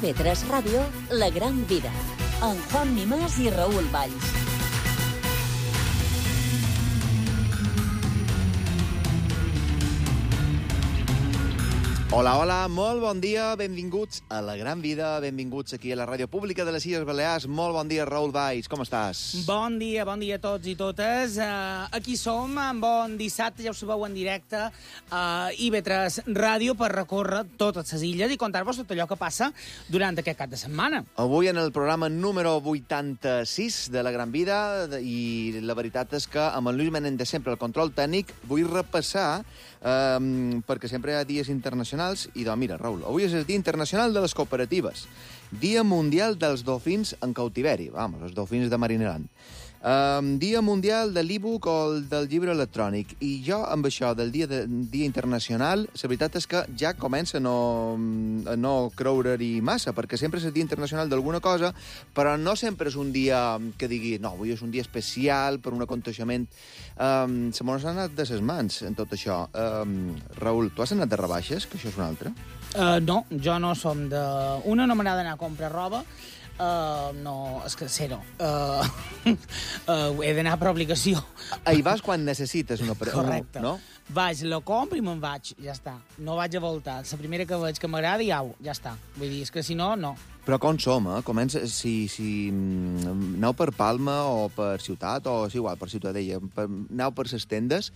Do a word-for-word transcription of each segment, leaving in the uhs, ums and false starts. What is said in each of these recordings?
I V tres Ràdio, La Gran Vida, amb Juan Mimàs i Raül Valls. Hola, hola, molt bon dia, benvinguts a La Gran Vida, benvinguts aquí a la Ràdio Pública de les Illes Balears. Molt bon dia, Raül Valls, com estàs? Bon dia, bon dia a tots i totes. Uh, aquí som, en bon dissabte, ja ho sabeu, en directe a I V tres Ràdio per recórrer totes les illes i contar-vos tot allò que passa durant aquest cap de setmana. Avui en el programa número vuitanta-sis de La Gran Vida, i la veritat és que amb el Lluís Menéndez sempre el control tècnic, vull repassar, um, perquè sempre hi ha dies internacionals, i doncs mira, Raül, avui és el Dia Internacional de les Cooperatives, Dia Mundial dels Dofins en Cautiveri, vamos, els dofins de Marineland, um, Dia Mundial de l'e-book o el del llibre electrònic, i jo amb això del Dia, de, dia Internacional, la veritat és que ja comença a no, a no creure-hi massa, perquè sempre és el Dia Internacional d'alguna cosa, però no sempre és un dia que digui, no, avui és un dia especial per un aconteixement. Um, se m'ho han anat de ses mans en tot això. Um, Raül, tu has anat de rebaixes, que això és una altra? Uh, no, jo no som de... Una, no m'agrada anar a comprar roba. Uh, no, és que zero. Uh, uh, he d'anar per obligació. Hi vas quan necessites una... Correcte. No? Vaig, la compro i me'n vaig, ja està. No vaig a voltar. La primera que veig que m'agrada i au, ja està. Vull dir, és que si no, no. Però com som, eh? Comença, si, si aneu per Palma o per Ciutat, o és igual, per Ciutadella, per, aneu per les tendes,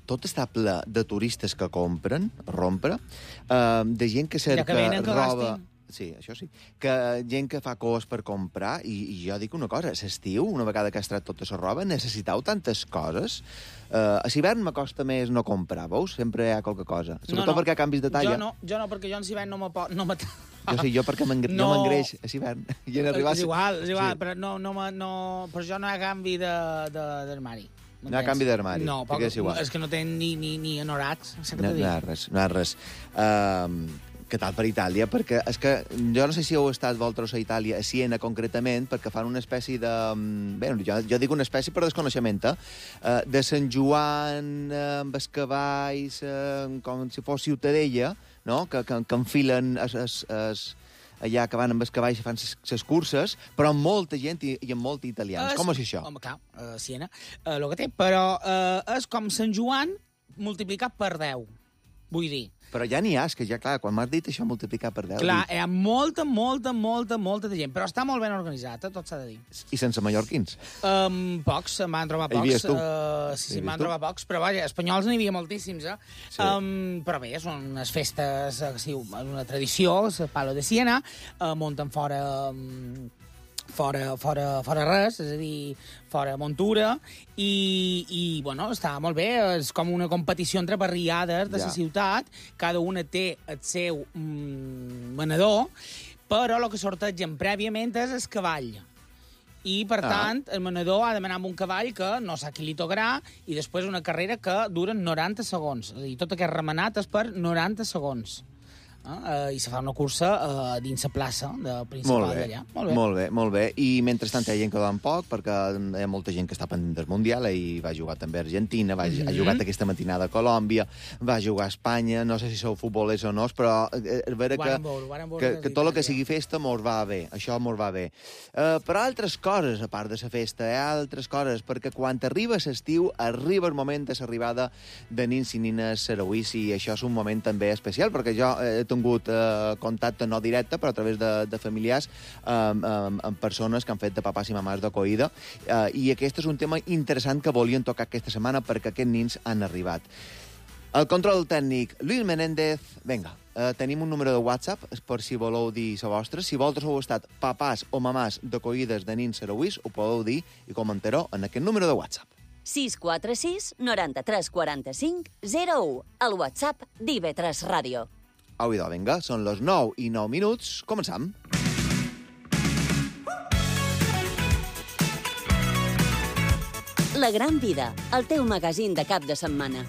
tot està ple de turistes que compren, rompre, eh, de gent que cerca ja que venen, que roba... gastin. Sí, això sí. Que gent que fa cos per comprar, i, i jo dic una cosa, l'estiu, una vegada que has tret tota la roba, necessiteu tantes coses. Uh, a l'hivern m'acosta més no comprar, veus? Sempre hi ha qualque cosa. Sobretot no, no. perquè canvis de talla. Jo no, jo no, perquè jo en l'hivern no me pot... No me... Jo sí, jo perquè m'engreix no. a l'hivern. I en arribar... És igual, és igual, sí. però no, no, no, per jo no hi ha canvi d'armari. No hi ha canvi d'armari. No, poc, és igual. És que no tenen ni, ni, ni anoracs. No, no hi ha res, no hi ha res. Uh, Què tal per Itàlia? Perquè és que jo no sé si heu estat vosaltres a Itàlia, a Siena concretament, perquè fan una espècie de... Bé, jo, jo dic una espècie per desconeixement, eh? De Sant Joan, eh, amb els cavalls, eh, com si fos Ciutadella, no? Que, que, que enfilen es, es, es, allà que van amb els cavalls i fan les curses, però amb molta gent i, i amb molts italians. Es, com és això? Home, clar, a Siena, eh, el que té, però eh, és com Sant Joan multiplicat per deu, vull dir. Però ja n'hi ha, és que ja, clar, quan m'has dit això multiplicar per deu... Clar, dic... hi ha molta, molta, molta, molta de gent, però està molt ben organitzat, tot s'ha de dir. I sense mallorquins? Um, pocs, se'n van trobar pocs. Hi havies tu? Uh, sí, sí, van trobar pocs, però vaja, espanyols n'hi havia moltíssims, eh? Sí. Um, però bé, són unes festes, uh, sí, una tradició, el Palo de Siena, uh, munten fora... Um, fora, fora, fora res, és a dir, fora muntura, i, i bueno, està molt bé, és com una competició entre barriades de ja. La ciutat, cada una té el seu mm, venedor, però el que sortegen prèviament és el cavall. I, per ah. tant, el venedor ha de demanar amb un cavall que no sap qui li tocarà, i després una carrera que dura noranta segons. És a dir, tot aquest remenat és per noranta segons. Uh, i se fa una cursa uh, dins la plaça de principal d'allà. Molt bé, molt bé, molt bé. I mentrestant hi ha gent que dorm poc, perquè hi ha molta gent que està pendent del Mundial, i va jugar també a Argentina, va, mm-hmm. ha jugat aquesta matinada a Colòmbia, va jugar a Espanya, no sé si sou futbolers o no, però és vera que, que, que tot el que sigui festa mos va bé, això mos va bé. Uh, però altres coses, a part de la festa, hi ha altres coses, perquè quan arriba l'estiu, arriba el moment de l'arribada de nins i nines sarauís, i això és un moment també especial, perquè jo he tingut eh, contacte no directe, però a través de, de familiars eh, amb, amb persones que han fet de papàs i mamàs d'acollida, eh, i aquest és un tema interessant que volien tocar aquesta setmana perquè aquests nins han arribat. El control tècnic, Lluís Menéndez. Vinga, eh, tenim un número de WhatsApp per si voleu dir la vostra. Si vosaltres heu estat papàs o mamàs d'acollides de nins sarauís, ho podeu dir i comentar-ho en aquest número de WhatsApp. sis quatre sis, noranta-tres, quaranta-cinc, zero u, el WhatsApp d'I V tres Ràdio. Au, idò, vinga, són les nou i nou minuts. Començam. La Gran Vida, el teu magazín de cap de setmana.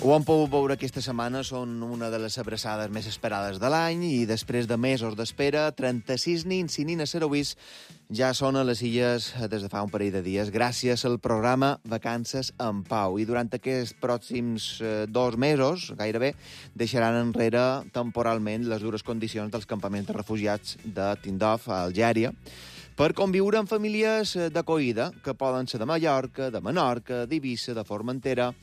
Ho hem pogut veure aquesta setmana, són una de les abraçades més esperades de l'any i després de mesos d'espera, trenta-sis nins i nines serovis ja són a les illes des de fa un parell de dies gràcies al programa Vacances en Pau. I durant aquests pròxims eh, dos mesos, gairebé, deixaran enrere temporalment les dures condicions dels campaments de refugiats de Tindouf, a Algèria, per conviure amb famílies d'acollida, que poden ser de Mallorca, de Menorca, d'Eivissa, de Formentera.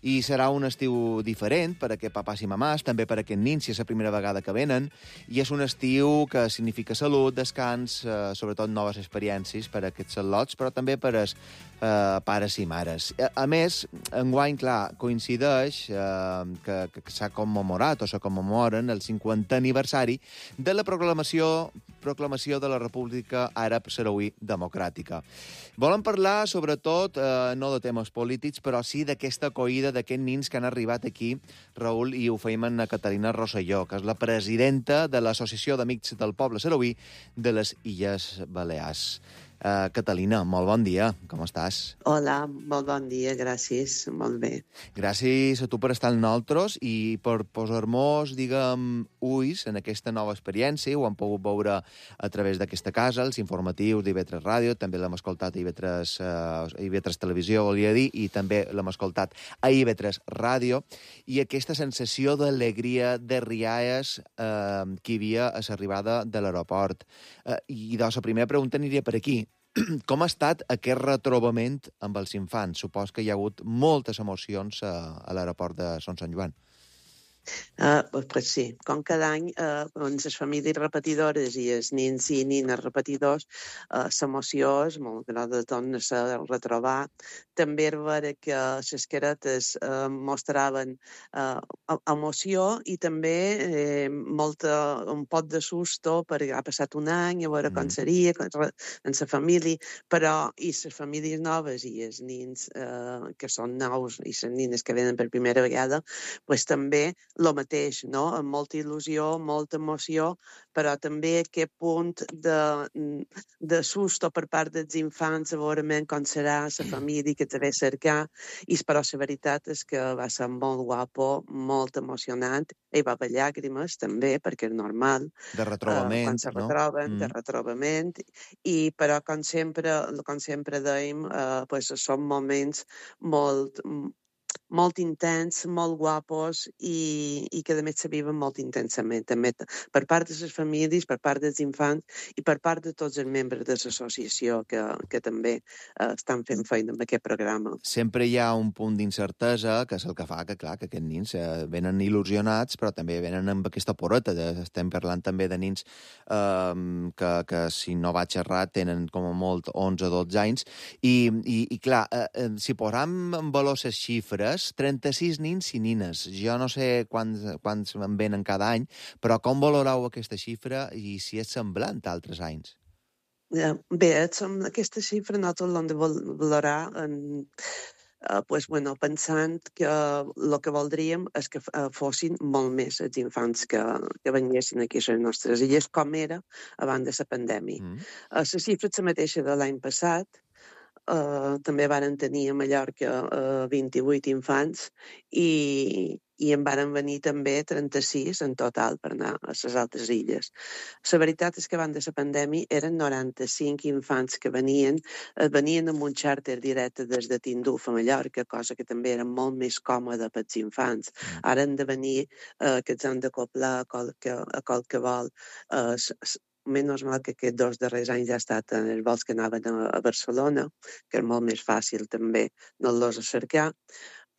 I serà un estiu diferent per a aquest papàs i mamàs, també per a aquests nins, si és la primera vegada que venen, i és un estiu que significa salut, descans, eh, sobretot noves experiències per a aquests al·lots, però també per als eh, pares i mares. A, a més, enguany, clar, coincideix eh, que, que s'ha commemorat o se commemoren el cinquantè aniversari de la proclamació proclamació de la República Àrab Sarauí Democràtica. Volen parlar, sobretot, eh, no de temes polítics, però sí d'aquesta acollida d'aquests nins que han arribat aquí, Raül, i ho feim en Catalina Rosselló, que és la presidenta de l'Associació d'Amics del Poble Sarauí de les Illes Balears. Uh, Catalina, molt bon dia, com estàs? Hola, molt bon dia, gràcies, molt bé. Gràcies a tu per estar amb nosaltres i per posar-nos, diguem, ulls en aquesta nova experiència. Ho hem pogut veure a través d'aquesta casa, els informatius d'I V tres Ràdio, també l'hem escoltat a I V tres, uh, I V tres Televisió, volia dir, i també l'hem escoltat a I V tres Ràdio, i aquesta sensació d'alegria, de rialles uh, que hi havia a l'arribada de l'aeroport. Uh, I doncs la primera pregunta aniria per aquí. Com ha estat aquest retrobament amb els infants? Supos que hi ha hagut moltes emocions a, a l'aeroport de Son Sant Joan. Uh, pues sí, com cada any, uh, doncs les famílies repetidores i els nins i nines repetidors, uh, l'emoció és molt gran de tornar-se a retrobar. També era veure que les caretes uh, mostraven uh, emoció i també eh, molta, un pot de susto perquè ha passat un any, a veure com seria en la família, però i les famílies noves i els nins uh, que són nous i les nines que venen per primera vegada, pues també el mateix, no? Amb molta il·lusió, molta emoció, però també aquest punt de, de susto per part dels infants, a veure com serà la família que te ve a cercar, i però la veritat és que va ser molt guapo, molt emocionant, hi va haver llàgrimes també, perquè és normal. De retrobament, uh, quan se no? retroben, Mm. de retrobament, i però com sempre, com sempre dèiem, uh, pues, són moments molt molt intens, molt guapos i, i que a més se viuen molt intensament, també per part de les famílies, per part dels infants i per part de tots els membres de l'associació que, que també eh, estan fent feina amb aquest programa. Sempre hi ha un punt d'incertesa, que és el que fa que, clar, que aquests nins eh, venen il·lusionats, però també venen amb aquesta poreta. De, estem parlant també de nins eh, que, que, si no vaig errat, tenen com a molt onze o dotze anys. I, i, i clar, eh, si posam en valor les xifres, trenta-sis nins i nines. Jo no sé quants, quants en venen cada any, però com valoreu aquesta xifra i si és semblant a altres anys? Bé, aquesta xifra nosaltres l'hem de valorar en, uh, pues, bueno, pensant que el que voldríem és que uh, fossin molt més els infants que, que venguessin aquí a les nostres illes, com era abans de la pandèmia. Mm. Uh, la xifra és la mateixa de l'any passat. Uh, també varen tenir a Mallorca uh, vint-i-vuit infants i, i en varen venir també trenta-sis en total per anar a les altres illes. La veritat és que abans de la pandèmia eren noranta-cinc infants que venien, uh, venien amb un xàrter directe des de Tindouf a Mallorca, cosa que també era molt més còmoda pels infants. Ara han de venir uh, que ens han d'acoplar a, qualque, a qualsevol uh, menys mal que aquests dos darrers anys ja ha estat en els vols que anaven a, a Barcelona, que és molt més fàcil també anar-los a cercar,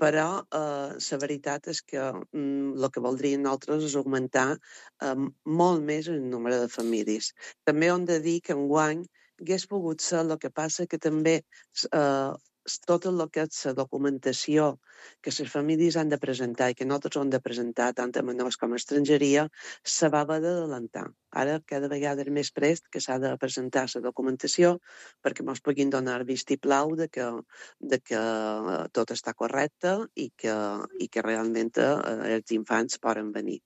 però eh, la veritat és que mm, el que voldríem nosaltres és augmentar eh, molt més el nombre de famílies. També hem de dir que enguany hagués pogut ser, el que passa que també eh, tot el que és la documentació que les famílies han de presentar i que nosaltres hem de presentar tant a menors com a estrangeria, se va haver d'adelantar. Ara cada vegada és més prest que s'ha de presentar la documentació perquè ens puguin donar vistiplau de que, de que tot està correcte i que, i que realment eh, els infants poden venir.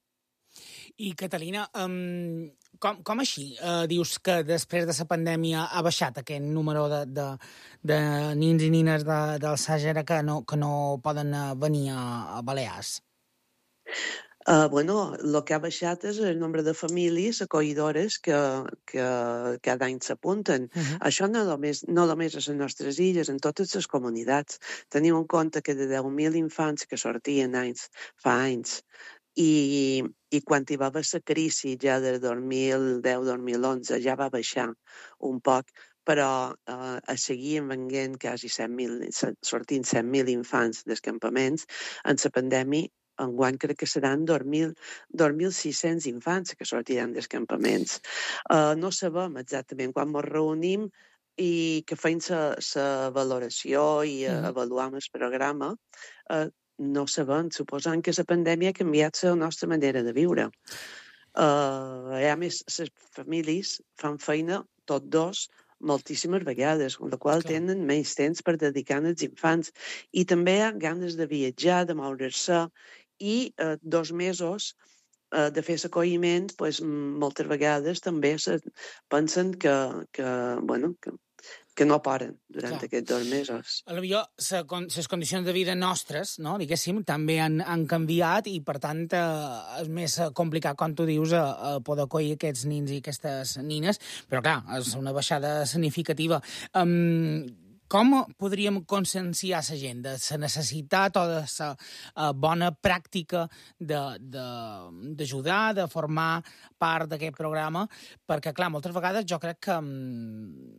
I, Catalina, um, com, com així uh, dius que després de la pandèmia ha baixat aquest número de, de, de nins i nines de, del Sàhara que no, que no poden venir a, a Balears? Uh, bueno, el que ha baixat és el nombre de famílies acollidores que, que cada any s'apunten. Uh -huh. Això no només, no només a les nostres illes, en totes les comunitats. Teniu en compte que de deu mil infants que sortien anys, fa anys, i, i quan hi va haver la crisi ja del dos mil deu dos mil onze ja va baixar un poc, però eh, a seguir venguent quasi set mil, sortint set mil infants dels campaments. En la pandèmia enguany crec que seran dos mil sis-cents infants que sortiran dels campaments. Uh, no sabem exactament quan ens reunim i que feim la valoració i uh, avaluam el programa, uh, no sabem, suposant que la pandèmia ha canviat la nostra manera de viure. Uh, a més, les famílies fan feina, tots dos, moltíssimes vegades, amb la qual Clar. tenen menys temps per dedicar als infants. I també hi ha ganes de viatjar, de moure-se, i eh, dos mesos eh, de fer l'acolliment, pues, moltes vegades també se pensen que, que, bueno, que, que no paren durant Clar. aquests dos mesos. Potser les condicions de vida nostres, no, diguéssim, també han, han canviat i, per tant, eh, és més complicat, com tu dius, a, a poder acollir aquests nins i aquestes nines, però, clar, és una baixada significativa. Um, Com podríem conscienciar la gent de la necessitat o de la uh, bona pràctica d'ajudar, de, de, de formar part d'aquest programa? Perquè, clar, moltes vegades jo crec que um,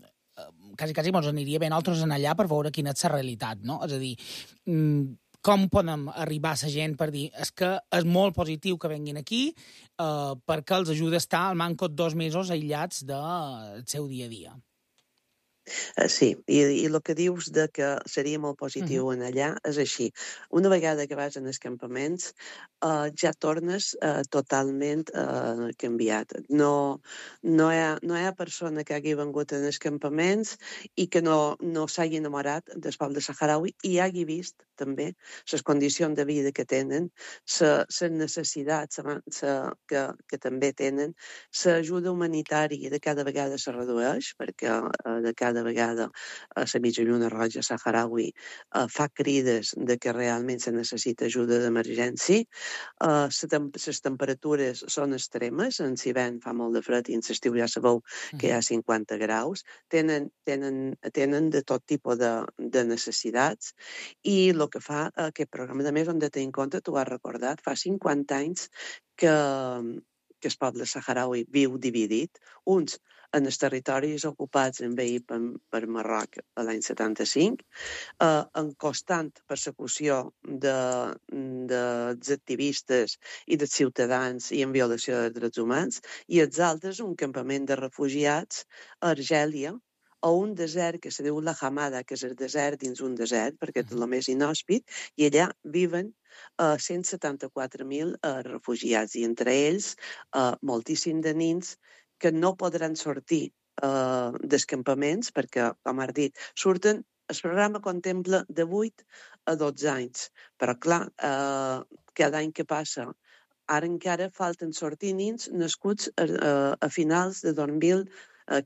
quasi, quasi ens aniria bé nosaltres en allà per veure quina és la realitat, no? És a dir, um, com podem arribar a la gent per dir és que és molt positiu que venguin aquí uh, perquè els ajuda a estar al manco dos mesos aïllats del seu dia a dia? Uh, sí, i, i el que dius de que seria molt positiu uh -huh. en allà és així. Una vegada que vas en els campaments, uh, ja tornes uh, totalment uh, canviat. No, no, hi ha, no hi ha persona que hagi vengut en els campaments i que no, no s'hagi enamorat del poble saharaui i hagi vist també les condicions de vida que tenen, les necessitats sa, que, que també tenen, l'ajuda humanitària de cada vegada se redueix, perquè uh, de cada vegada a la mitja lluna roja saharaui uh, fa crides de que realment se necessita ajuda d'emergència. Uh, les temperatures són extremes, en l'hivern fa molt de fred i en l'estiu ja sabeu que hi ha cinquanta graus. Tenen, tenen, tenen de tot tipus de, de necessitats i el que fa aquest programa, de més, hem de tenir en compte, tu has recordat, fa cinquanta anys que, que el poble saharaui viu dividit, uns en els territoris ocupats envaïts per, per Marroc l'any setanta-cinc, eh, en constant persecució de, dels activistes i dels ciutadans i en violació de drets humans, i els altres un campament de refugiats a Argèlia, a un desert que se diu la Hamada, que és el desert dins un desert, perquè és el més inhòspit, i allà viven uh, cent setanta-quatre mil uh, refugiats, i entre ells uh, moltíssim de nins que no podran sortir uh, dels campaments, perquè, com has dit, surten, el programa contempla de vuit a dotze anys, però clar, uh, cada any que passa, ara encara falten sortir nins nascuts a, a, a finals de dos mil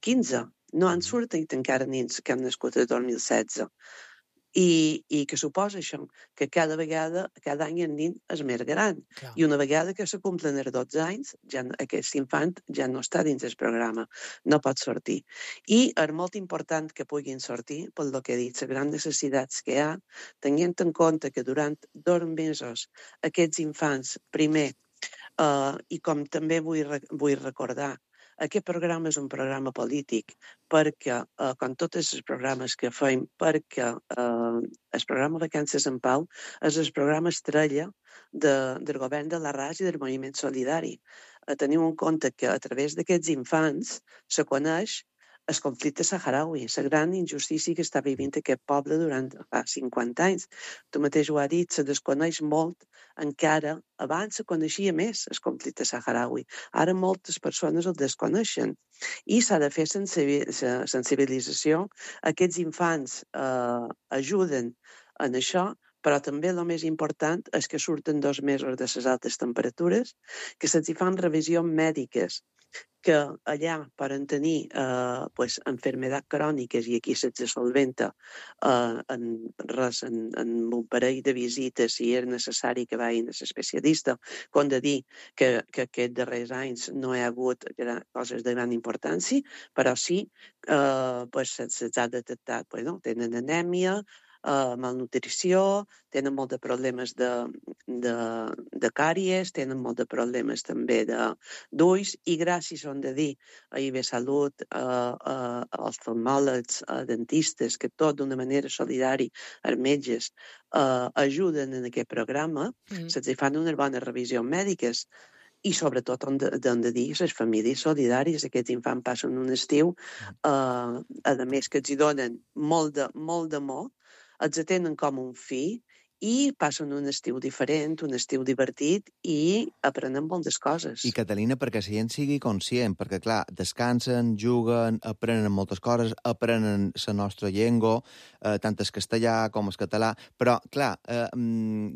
quinze. No han sortit encara nins que han nascut el dos mil setze. I, i que suposa això? Que cada vegada, cada any el nin és més gran. Clar. I una vegada que se complen els dotze anys, ja, aquest infant ja no està dins del programa, no pot sortir. I és molt important que puguin sortir, pel que he dit, les grans necessitats que hi ha, tenint en compte que durant dos mesos aquests infants, primer, uh, i com també vull, vull recordar, aquest programa és un programa polític perquè, eh, com tots els programes que fem, perquè eh, el programa Vacances en Pau és el programa estrella de, del govern de l'Arràs i del moviment solidari. Eh, teniu en compte que a través d'aquests infants se coneix el conflicte saharaui, la gran injustícia que està vivint aquest poble durant fa cinquanta anys. Tu mateix ho has dit, se desconeix molt, encara abans se coneixia més el conflicte saharaui. Ara moltes persones el desconeixen i s'ha de fer sensibilització. Aquests infants eh, ajuden en això, però també el més important és que surten dos mesos de les altes temperatures, que se'ls fan revisions mèdiques, que allà poden tenir eh, pues, enfermedats cròniques i aquí se'ls solventa eh, en res, en, en un parell de visites si és necessari que vagin a l'especialista, com de dir que, que aquests darrers anys no hi ha hagut gran, coses de gran importància, però sí eh, pues, se'ls ha detectat, pues, no? Tenen anèmia, Uh, malnutrició, tenen molt de problemes de, de, de càries, tenen molt de problemes també d'ulls, i gràcies, on de dir, a I B Salut, uh, uh, als oftalmòlegs, uh, dentistes, que tot d'una manera solidària, els metges, uh, ajuden en aquest programa, mm. se'ls fan unes bones revisions mèdiques, i sobretot on de, de dir les famílies solidàries. Aquests infants passen un estiu, uh, a més que els hi donen molt de, molt d'amor, els atenen com un fill i passen un estiu diferent, un estiu divertit i aprenen moltes coses. I, Catalina, perquè la gent sigui conscient, perquè, clar, descansen, juguen, aprenen moltes coses, aprenen la nostra llengua, eh, tant el castellà com el català, però, clar, eh,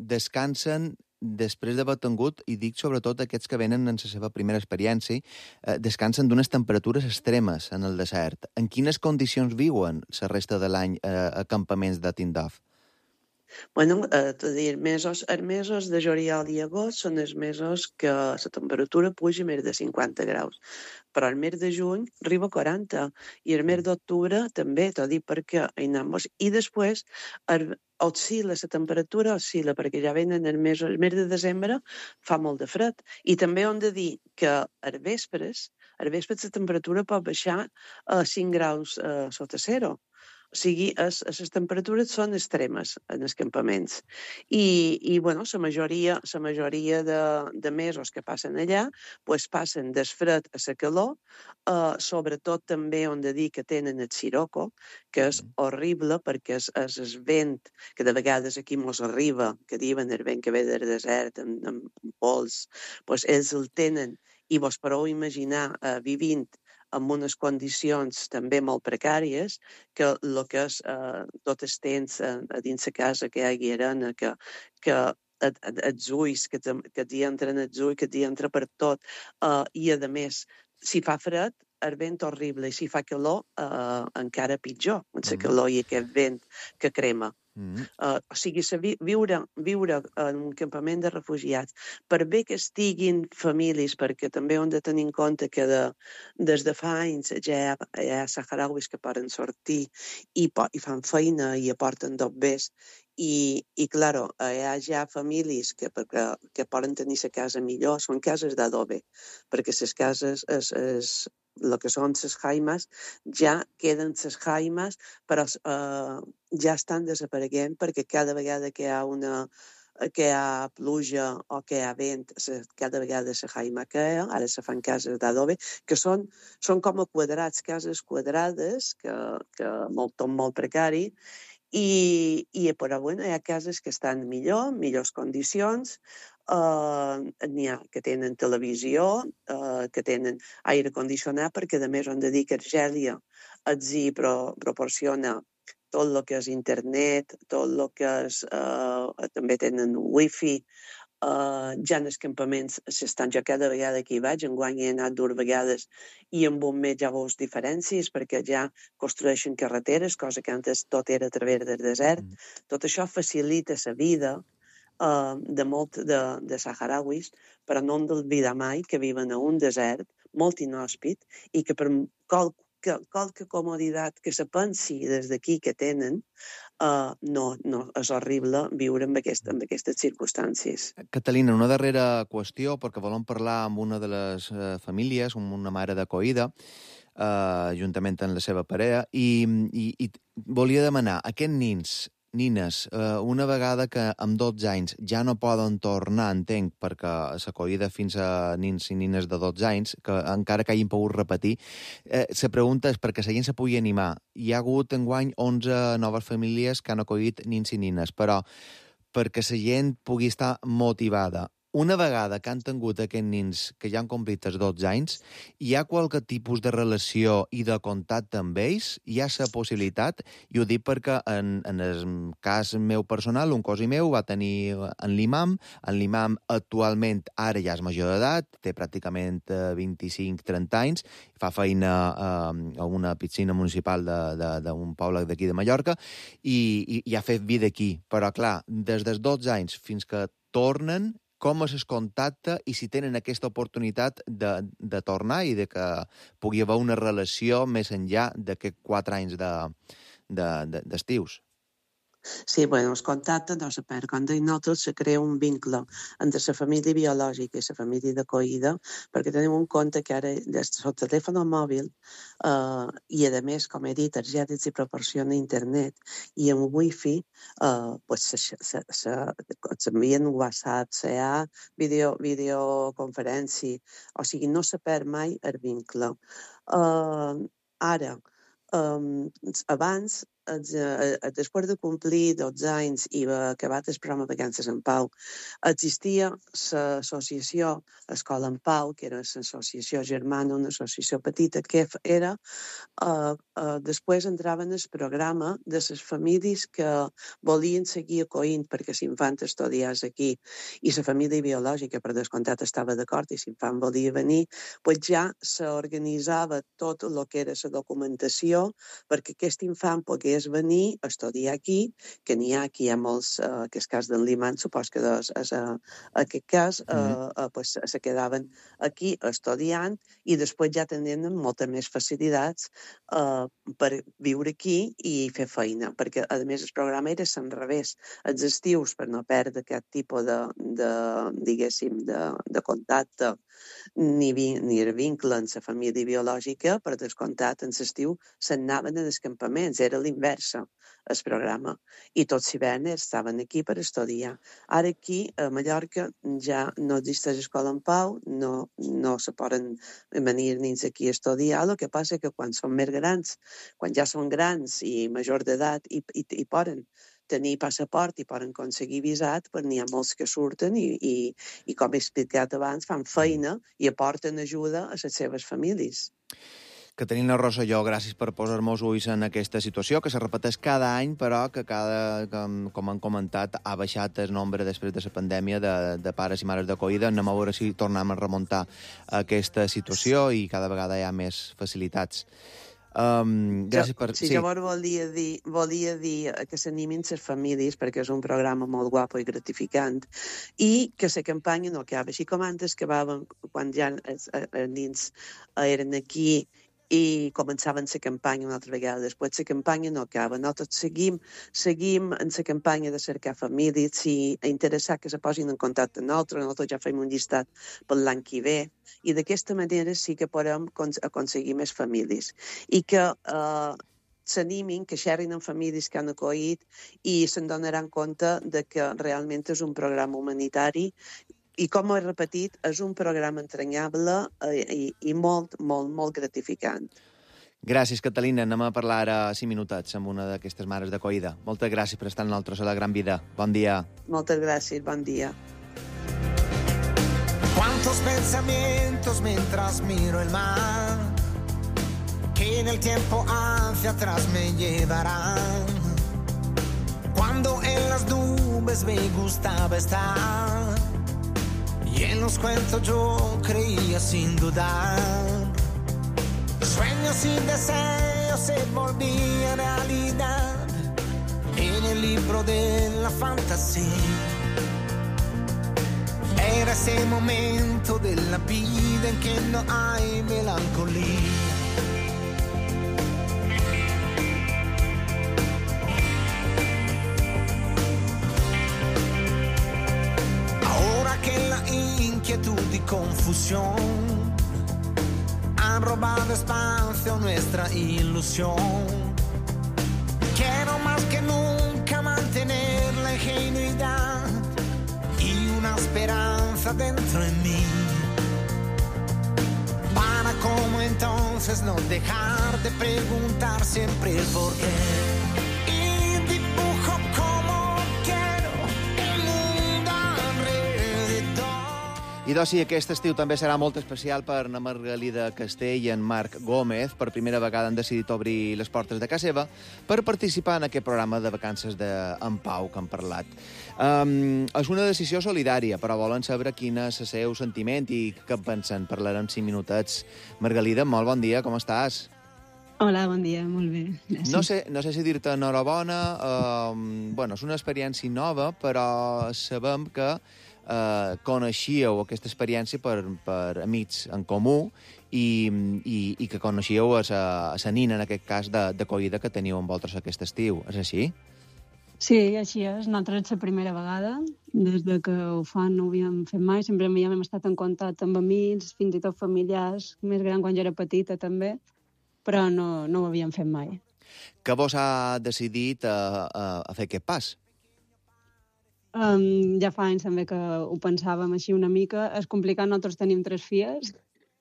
descansen després d'haver tingut, i dic sobretot aquests que venen en la seva primera experiència, eh, descansen d'unes temperatures extremes en el desert. En quines condicions viuen la resta de l'any eh, a campaments de Tindouf? Bueno, eh, dir, mesos, els mesos de juliol i agost són els mesos que la temperatura puja més de cinquanta graus. Però el mes de juny arriba a quaranta i el mes d'octubre també, t'ho dic perquè hi anem. I després el, oscil·la, la temperatura oscil·la, perquè ja venen el mes, el mes de desembre fa molt de fred. I també hem de dir que als vespres, als vespres la temperatura pot baixar a cinc graus eh, sota zero. O sigui, es, les temperatures són extremes en els campaments. I, i bueno, la majoria, la majoria de, de mesos que passen allà pues, passen del fred a la calor, eh, sobretot també on de dir que tenen el siroco, que és horrible perquè és, és el vent que de vegades aquí mos arriba, que diuen el vent que ve del desert amb, amb pols, pues, ells el tenen i vos podeu imaginar eh, vivint amb unes condicions també molt precàries, que el que és eh, tot el temps eh, a dins la casa que hi hagi arena, que, que els ulls, que, que t'hi entren els ulls, que t'hi entra per tot, eh, i a més, si fa fred, el vent horrible, i si fa calor, eh, encara pitjor, amb la calor i aquest vent que crema. Mm. Uh, o sigui, viure, viure en un campament de refugiats, per bé que estiguin famílies, perquè també hem de tenir en compte que de, des de fa anys ja hi ha saharauis que poden sortir i, i fan feina i aporten dobbers, i, i claro, hi ha ja famílies que, perquè, que poden tenir la casa millor, són cases d'adobe, perquè les cases és, és el que són les jaimes, ja queden les jaimes, però eh, ja estan desapareguent perquè cada vegada que hi ha una que hi ha pluja o que hi ha vent, cada vegada la jaima cae, ara se fan cases d'adobe, que són, són com a quadrats, cases quadrades, que, que molt, tot molt precari, i, i però bueno, hi ha cases que estan millor, millors condicions, Uh, n'hi ha que tenen televisió, uh, que tenen aire condicionat, perquè a més hem de dir que Argèlia els hi pro, proporciona tot el que és internet, tot el que és... Uh, també tenen wifi, uh, ja en els campaments s'estan, jo cada vegada que hi vaig, enguany he anat dues vegades i amb un mes ja veus diferències, perquè ja construeixen carreteres, cosa que antes tot era a través del desert. Mm. Tot això facilita la vida Uh, de molt de, de saharauis, però no hem d'oblidar mai que viuen a un desert molt inhòspit i que per qualque, qualque comoditat que se pensi des d'aquí que tenen, uh, no, no, és horrible viure amb, aquest, amb aquestes circumstàncies. Catalina, una darrera qüestió, perquè volem parlar amb una de les uh, famílies, amb una mare d'acollida, uh, juntament amb la seva parella, i, i, i volia demanar, aquests nins, nines, eh, una vegada que amb dotze anys ja no poden tornar, entenc, perquè s'acollida fins a nins i nines de dotze anys, que encara que hagin pogut repetir, eh, la pregunta és perquè la gent se pugui animar. Hi ha hagut enguany onze noves famílies que han acollit nins i nines, però perquè la gent pugui estar motivada, una vegada que han tingut aquests nins que ja han complit els dotze anys, hi ha qualque tipus de relació i de contacte amb ells? Hi ha la possibilitat? I ho dic perquè en, en el cas meu personal, un cosí meu va tenir en l'imam. En l'imam actualment ara ja és major d'edat, té pràcticament vint-i-cinc trenta anys, fa feina eh, a una piscina municipal d'un poble d'aquí de Mallorca i, i, i ha fet vida aquí. Però, clar, des dels dotze anys fins que tornen, com es contacta i si tenen aquesta oportunitat de, de tornar i de que pugui haver una relació més enllà d'aquests quatre anys de, de, de, d'estius. Sí, bueno, el contacte no se perd. Com deim nosaltres, se crea un vincle entre la família biològica i la família d'acollida, perquè tenim un compte que ara, des del telèfon mòbil, eh, i a més, com he dit, targetes i proporciona internet i amb wifi, eh, pues, s'envien WhatsApp, se ha video, videoconferència, o sigui, no se perd mai el vincle. Eh, ara, eh, abans, després de complir dotze anys i acabat el programa Vacances en Pau, existia l'associació Escola en Pau, que era l'associació germana, una associació petita, que era, uh, uh, després entraven el programa de les famílies que volien seguir acollint perquè l'infant estudiés aquí i la família biològica, per descomptat, estava d'acord i l'infant volia venir, pues ja s'organitzava tot el que era la documentació perquè aquest infant pogués venir a estudiar aquí, que n'hi ha aquí, hi ha molts, uh, que és cas d'en Liman, supos que és, és, uh, aquest cas, uh, uh, pues, se quedaven aquí estudiant i després ja tenien moltes més facilitats uh, per viure aquí i fer feina, perquè a més el programa era al revés, els estius, per no perdre aquest tipus de, de diguéssim, de, de contacte ni, vi, ni el vincle amb la família biològica, per descomptat, en l'estiu s'anaven als campaments, era l'inversa, el programa, i tots l'hivern estaven aquí per estudiar. Ara aquí, a Mallorca, ja no existeix escola en Pau, no, no se poden venir nins aquí a estudiar, el que passa que quan són més grans, quan ja són grans i major d'edat i, i, i poden tenir passaport i poden aconseguir visat, però n'hi ha molts que surten i, i, i com he explicat abans, fan feina i aporten ajuda a les seves famílies. Caterina Rosselló, gràcies per posar-nos ulls en aquesta situació, que se repeteix cada any, però que, cada, com, com han comentat, ha baixat el nombre després de la pandèmia de, de pares i mares d'acollida. Anem a veure si tornem a remuntar aquesta situació i cada vegada hi ha més facilitats. Um, gràcies per... Sí, sí. Llavors volia dir, volia dir que s'animin les famílies, perquè és un programa molt guapo i gratificant, i que la campanya no acaba. Així com antes acabaven quan ja els, els nins eren aquí i començaven la campanya una altra vegada. Després la campanya no acaba. Nosaltres seguim, seguim en la campanya de cercar famílies i interessar que se posin en contacte amb nosaltres. Nosaltres ja fem un llistat per l'any que ve i d'aquesta manera sí que podem aconseguir més famílies. I que eh, s'animin, que xerrin amb famílies que han acollit i se'n donaran compte de que realment és un programa humanitari i, com he repetit, és un programa entranyable i, i molt, molt, molt gratificant. Gràcies, Catalina. Anem a parlar ara cinc minutets amb una d'aquestes mares d'acollida. Moltes gràcies per estar amb nosaltres a La Gran Vida. Bon dia. Moltes gràcies, bon dia. Cuántos pensamientos mientras miro el mar, que en el tiempo hacia atrás me llevarán. Cuando en las nubes me gustaba estar, y en los cuentos yo creía sin dudar. Sueños y deseos se volvían realidad en el libro de la fantasía. Era ese momento de la vida en que no hay melancolía. Inquietud y confusión han robado espacio a nuestra ilusión. Quiero más que nunca mantener la ingenuidad y una esperanza dentro de mí, para como entonces no dejar de preguntar siempre el por qué. Como quiero el mundo alrededor. I doncs sí, aquest estiu també serà molt especial per na Margalida Castell i en Marc Gómez. Per primera vegada han decidit obrir les portes de casa seva per participar en aquest programa de vacances de En Pau que han parlat. Um, és una decisió solidària, però volen saber quin és el seu sentiment i què pensen. Parlarem cinc minutets. Margalida, molt bon dia, com estàs? Hola, bon dia, molt bé. Gràcies. No sé, no sé si dir-te enhorabona. Uh, bueno, és una experiència nova, però sabem que Uh, coneixíeu aquesta experiència per, per amics en comú i, i, i que coneixíeu a la nina, en aquest cas, d'acollida que teniu amb vosaltres aquest estiu. És així? Sí, així és. Nosaltres és la primera vegada. Des de que ho fan no ho havíem fet mai. Sempre havíem estat en contacte amb amics, fins i tot familiars, més gran quan jo era petita també, però no, no ho havíem fet mai. Què vos ha decidit a, a, a fer aquest pas? Um, ja fa anys també que ho pensàvem així una mica. És complicat, nosaltres tenim tres filles,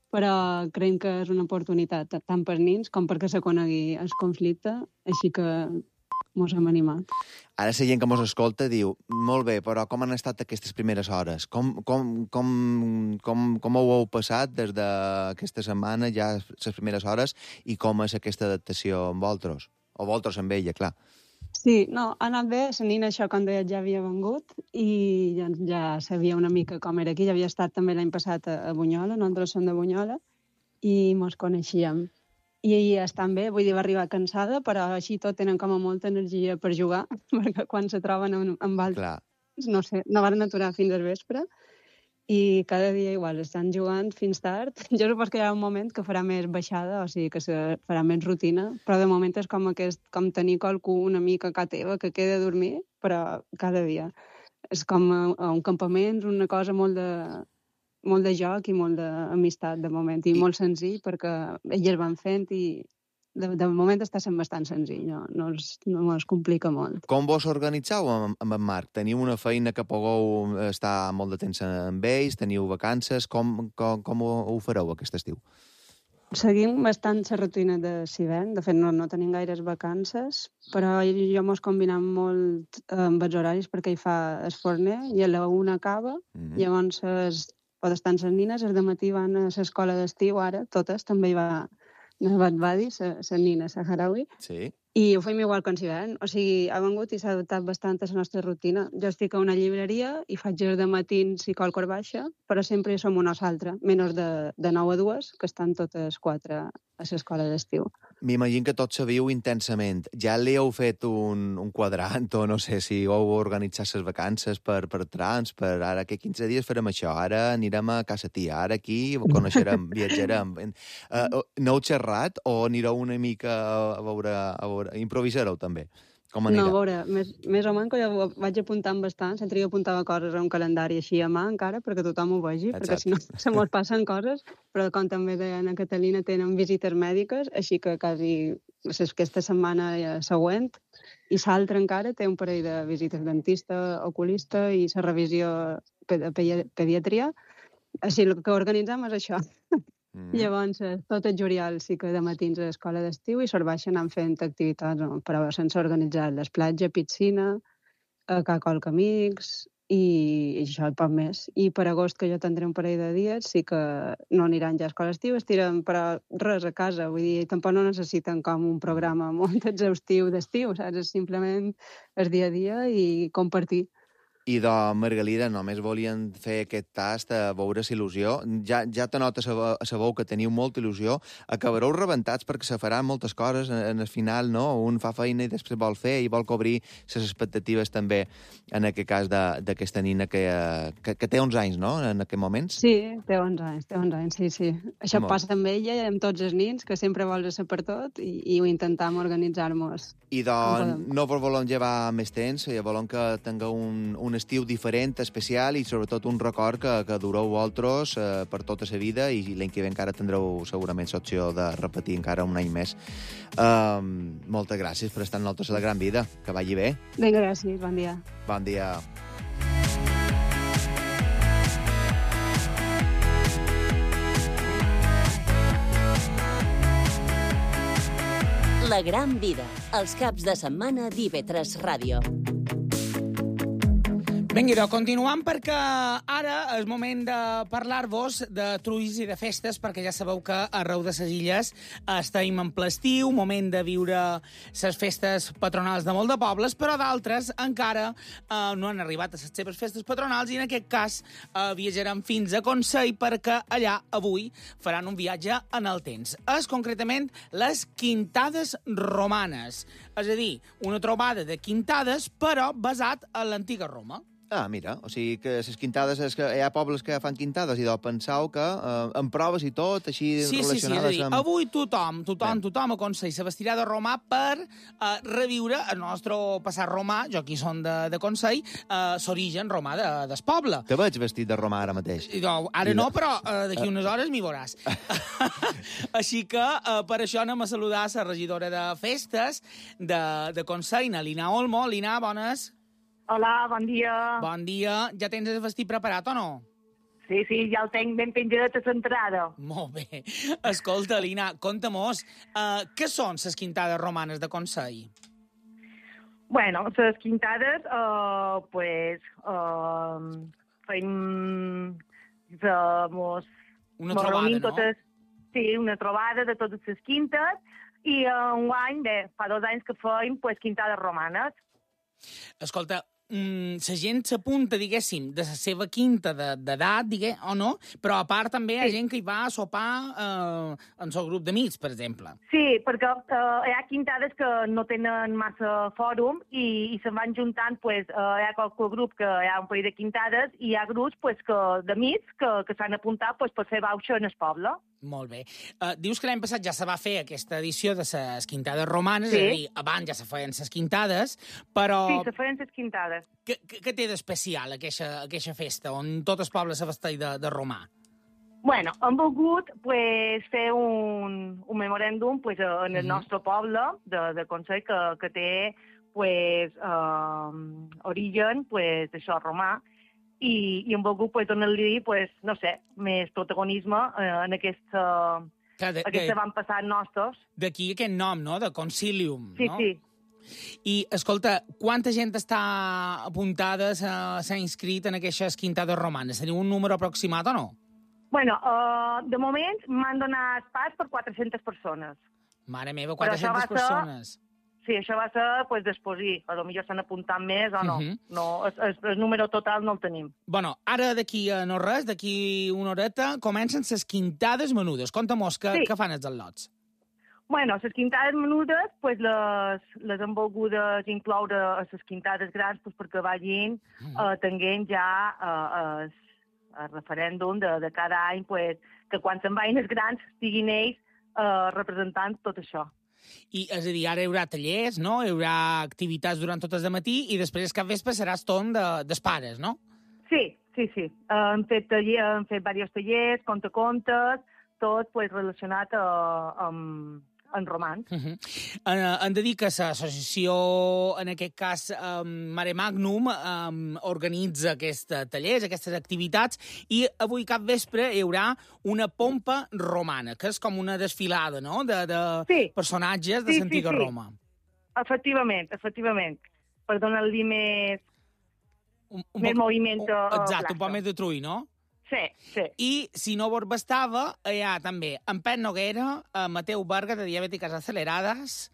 però creiem que és una oportunitat tant per nins com perquè se conegui el conflicte, així que mos hem animat. Ara la gent que mos escolta diu, molt bé, però com han estat aquestes primeres hores? Com, com, com, com, com ho heu passat des d'aquesta setmana, ja les primeres hores, i com és aquesta adaptació amb vosaltres? O vosaltres amb ella, clar. Sí, no, ha anat bé. La nina, això, com deia, ja havia vengut i ja, ja sabia una mica com era aquí. Ja havia estat també l'any passat a, a Bunyola, nosaltres som de Bunyola, i mos coneixíem. I, i estan bé, vull dir, va arribar cansada, però així tot tenen com a molta energia per jugar, perquè quan se troben amb, amb altres, no sé, no van aturar fins al vespre, i cada dia igual estan jugant fins tard. Jo suposo que hi ha un moment que farà més baixada, o sigui que se farà més rutina, però de moment és com, aquest, com tenir qualcú una mica a casa teva que queda a dormir, però cada dia. És com a, a un campament, una cosa molt de, molt de joc i molt d'amistat de moment, i, I molt senzill perquè elles van fent i de, de moment està sent bastant senzill, no, no, es, no es complica molt. Com vos organitzeu amb, amb en Marc? Teniu una feina que pugueu estar molt de temps amb ells? Teniu vacances? Com, com, com ho, ho fareu aquest estiu? Seguim bastant la rutina de Sivent. De fet, no, no tenim gaires vacances, però jo mos combinem molt amb els horaris perquè hi fa el forner i a la una acaba, mm-hmm. Llavors es, pot estar amb les nines, els de matí van a l'escola d'estiu, ara totes, també hi va Nabat Badi, la nina saharaui, sí. I ho fem igual que en Sivent. O sigui, ha vengut i s'ha adaptat bastant a la nostra rutina. Jo estic a una llibreria i faig els de matins i qualcor baixa, però sempre hi som una o l'altra, menys de, de nou a dues, que estan totes quatre a l'escola d'estiu. M'imagino que tots sabiu intensament. Ja li heu fet un, un quadrant o no sé si heu organitzat les vacances per, per trams, per ara que quinze dies farem això, ara anirem a casa tia, ara aquí coneixerem, viatjarem. Uh, no heu xerrat o anireu una mica a veure, a veure improvisareu també? Com anirà? No, a veure, més, més o menys que jo vaig apuntant bastant, sempre jo apuntava coses a un calendari així a mà encara, perquè tothom ho vegi, exacte. Perquè si no se mos passen coses, però com també deia Ana Catalina, tenen visites mèdiques, així que quasi aquesta setmana següent, i l'altra encara té un parell de visites dentista, oculista i la revisió de pediatria, així el que organitzem és això. Mm. Llavors, tot el juliol sí que de matins a l'escola d'estiu i sorbaixen anant fent activitats, no? Però sense organitzar les platges, piscina, cacolc amics i, i això i poc més. I per agost, que jo tindré un parell de dies, sí que no aniran ja a escola d'estiu, estiren però res a casa, vull dir, tampoc no necessiten com un programa molt exhaustiu d'estiu, saps? És simplement el dia a dia i compartir. I de Margalida, només volien fer aquest tast a veure si il·lusió. Ja, ja te nota a sabeu que teniu molta il·lusió. Acabareu rebentats perquè se faran moltes coses en el final, no? Un fa feina i després vol fer i vol cobrir les expectatives també, en aquest cas d'aquesta nina que, que, que té onze anys, no?, en aquest moment. Sí, té onze anys, té onze anys, sí, sí. Això molt. Passa amb ella i amb tots els nins, que sempre vols ser per tot i, i ho intentam organitzar-nos. I doncs no vos volem llevar més temps, ja volem que tingueu un, un estiu diferent, especial i sobretot un record que, que dureu vosaltres eh, per tota la vida i l'any que ve encara tindreu segurament l'opció de repetir encara un any més. Um, moltes gràcies per estar amb nosaltres a la Gran Vida. Que vagi bé. Vinga, gràcies. Bon dia. Bon dia. La Gran Vida, els caps de setmana d'I V tres Ràdio. Vinga, doncs, continuant, perquè ara és moment de parlar-vos de trulls i de festes, perquè ja sabeu que arreu de les illes estem en ple estiu, moment de viure les festes patronals de molt de pobles, però d'altres encara eh, no han arribat a les seves festes patronals i en aquest cas eh, viatjaran fins a Consell perquè allà avui faran un viatge en el temps. És concretament les Quintades Romanes, és a dir, una trobada de quintades, però basat en l'antiga Roma. Ah, mira, o sigui que les quintades, és que hi ha pobles que fan quintades i doncs penseu que eh, en proves i tot, així sí, relacionades sí, sí, és a dir, amb... avui tothom, tothom, tothom a Consell se vestirà de romà per eh, reviure el nostre passat romà, jo aquí són de, de Consell, eh, l'origen romà de, del poble. Te veig vestit de romà ara mateix. I, no, ara no, però eh, d'aquí unes hores m'hi veuràs. Així que eh, per això anem a saludar la regidora de festes de, de Consell, Lina Olmo. Lina, bones. Hola, bon dia. Bon dia. Ja tens el vestit preparat o no? Sí, sí, ja el tenc ben penjadet a l'entrada. Molt bé. Escolta, Lina, conta-mos, uh, què són les quintades romanes de Consell? Bueno, les quintades, uh, pues, uh, fem... Uh, mos, una mos trobada, no? Totes, sí, una trobada de totes les quintes i uh, un any, bé, fa dos anys que fem pues, quintades romanes. Escolta, mm, la gent s'apunta, diguéssim, de la seva quinta d'edat, digué, o no? Però a part també hi ha gent que hi va a sopar eh, en el grup d'amics, per exemple. Sí, perquè eh, hi ha quintades que no tenen massa fòrum i, i se'n van juntant, pues, eh, hi ha qualque grup que hi ha un parell de quintades i hi ha grups pues, que, d'amics que, que s'han apuntat pues, per fer bauxa en el poble. Molt bé. Uh, dius que l'any passat ja se va fer aquesta edició de les quintades romanes, sí. És a dir, abans ja se feien les quintades, però... Sí, se feien les quintades. Què, què té d'especial aquesta, aquesta festa, on tot el poble se vesteix de, de romà? Bueno, hem volgut pues, fer un, un memoràndum pues, en el mm-hmm. nostre poble de, de Consell que, que té pues, uh, origen pues, això, romà, i, i hem volgut pues, donar-li, pues, no sé, més protagonisme eh, en aquesta, Clar, de, aquesta van passar nostres. D'aquí aquest nom, no?, de Concilium, sí, no? Sí, sí. I, escolta, quanta gent està apuntada, s'ha inscrit en aquestes quintades romanes? Teniu un número aproximat o no? Bueno, uh, de moment m'han donat pas per quatre-centes persones. Mare meva, quatre-centes persones. Ser... Sí, això va ser, pues, després, i a lo millor s'han apuntat més o no. Uh -huh. No, el, el, el número total no el tenim. Bueno, ara d'aquí a no res, d'aquí una horeta, comencen les quintades menudes. Conta-mos, què, sí. què fan els al·lots? Bueno, les quintades menudes, pues, les, les hem volgudes incloure a les quintades grans pues, perquè vagin uh -huh. eh, tenint ja eh, el, el referèndum de, de cada any, pues, que quan se'n vagin els grans estiguin ells eh, representant tot això. I, és a dir, ara hi haurà tallers, no? Hi haurà activitats durant tot el matí i després cap vespre serà eston de, dels pares, no? Sí, sí, sí. Uh, hem fet, taller, hem fet diversos tallers, contacontes, tot pues, relacionat uh, amb, amb romans. Uh -huh. uh, hem de dir que l'associació, en aquest cas um, Mare Magnum, um, organitza aquests tallers, aquestes activitats, i avui cap vespre hi haurà una pompa romana, que és com una desfilada, no?, de, de sí. personatges de sí, l'antiga sí, sí. Roma. Efectivament, efectivament. Per donar-li més, un, un més poc, moviment. Un, exacte, un poc més de trull, no? Sí, sí. I, si no vos bastava, hi ha també en Pep Noguera, Mateu Varga, de Diabètiques Accelerades...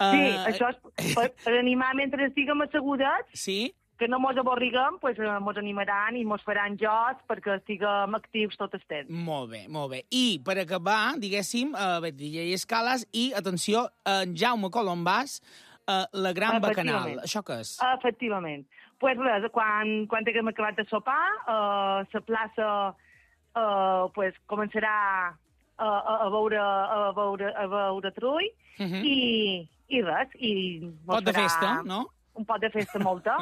Sí, uh, això és per, per animar mentre estiguem assegurats, sí? que no mos avorriguem, pues, mos animaran i mos faran jocs perquè estiguem actius tot el temps. Molt bé, molt bé. I, per acabar, diguéssim, uh, D J Escales i, atenció, en Jaume Colombàs, uh, la Gran Bacanal. Això què és? Efectivament. Pues res, quan, quan haguem acabat de sopar, uh, la plaça uh, pues, començarà a, a, a, veure, a, veure, a veure trull uh -huh. i, i res. I pot de festa, no? Un pot de festa molta.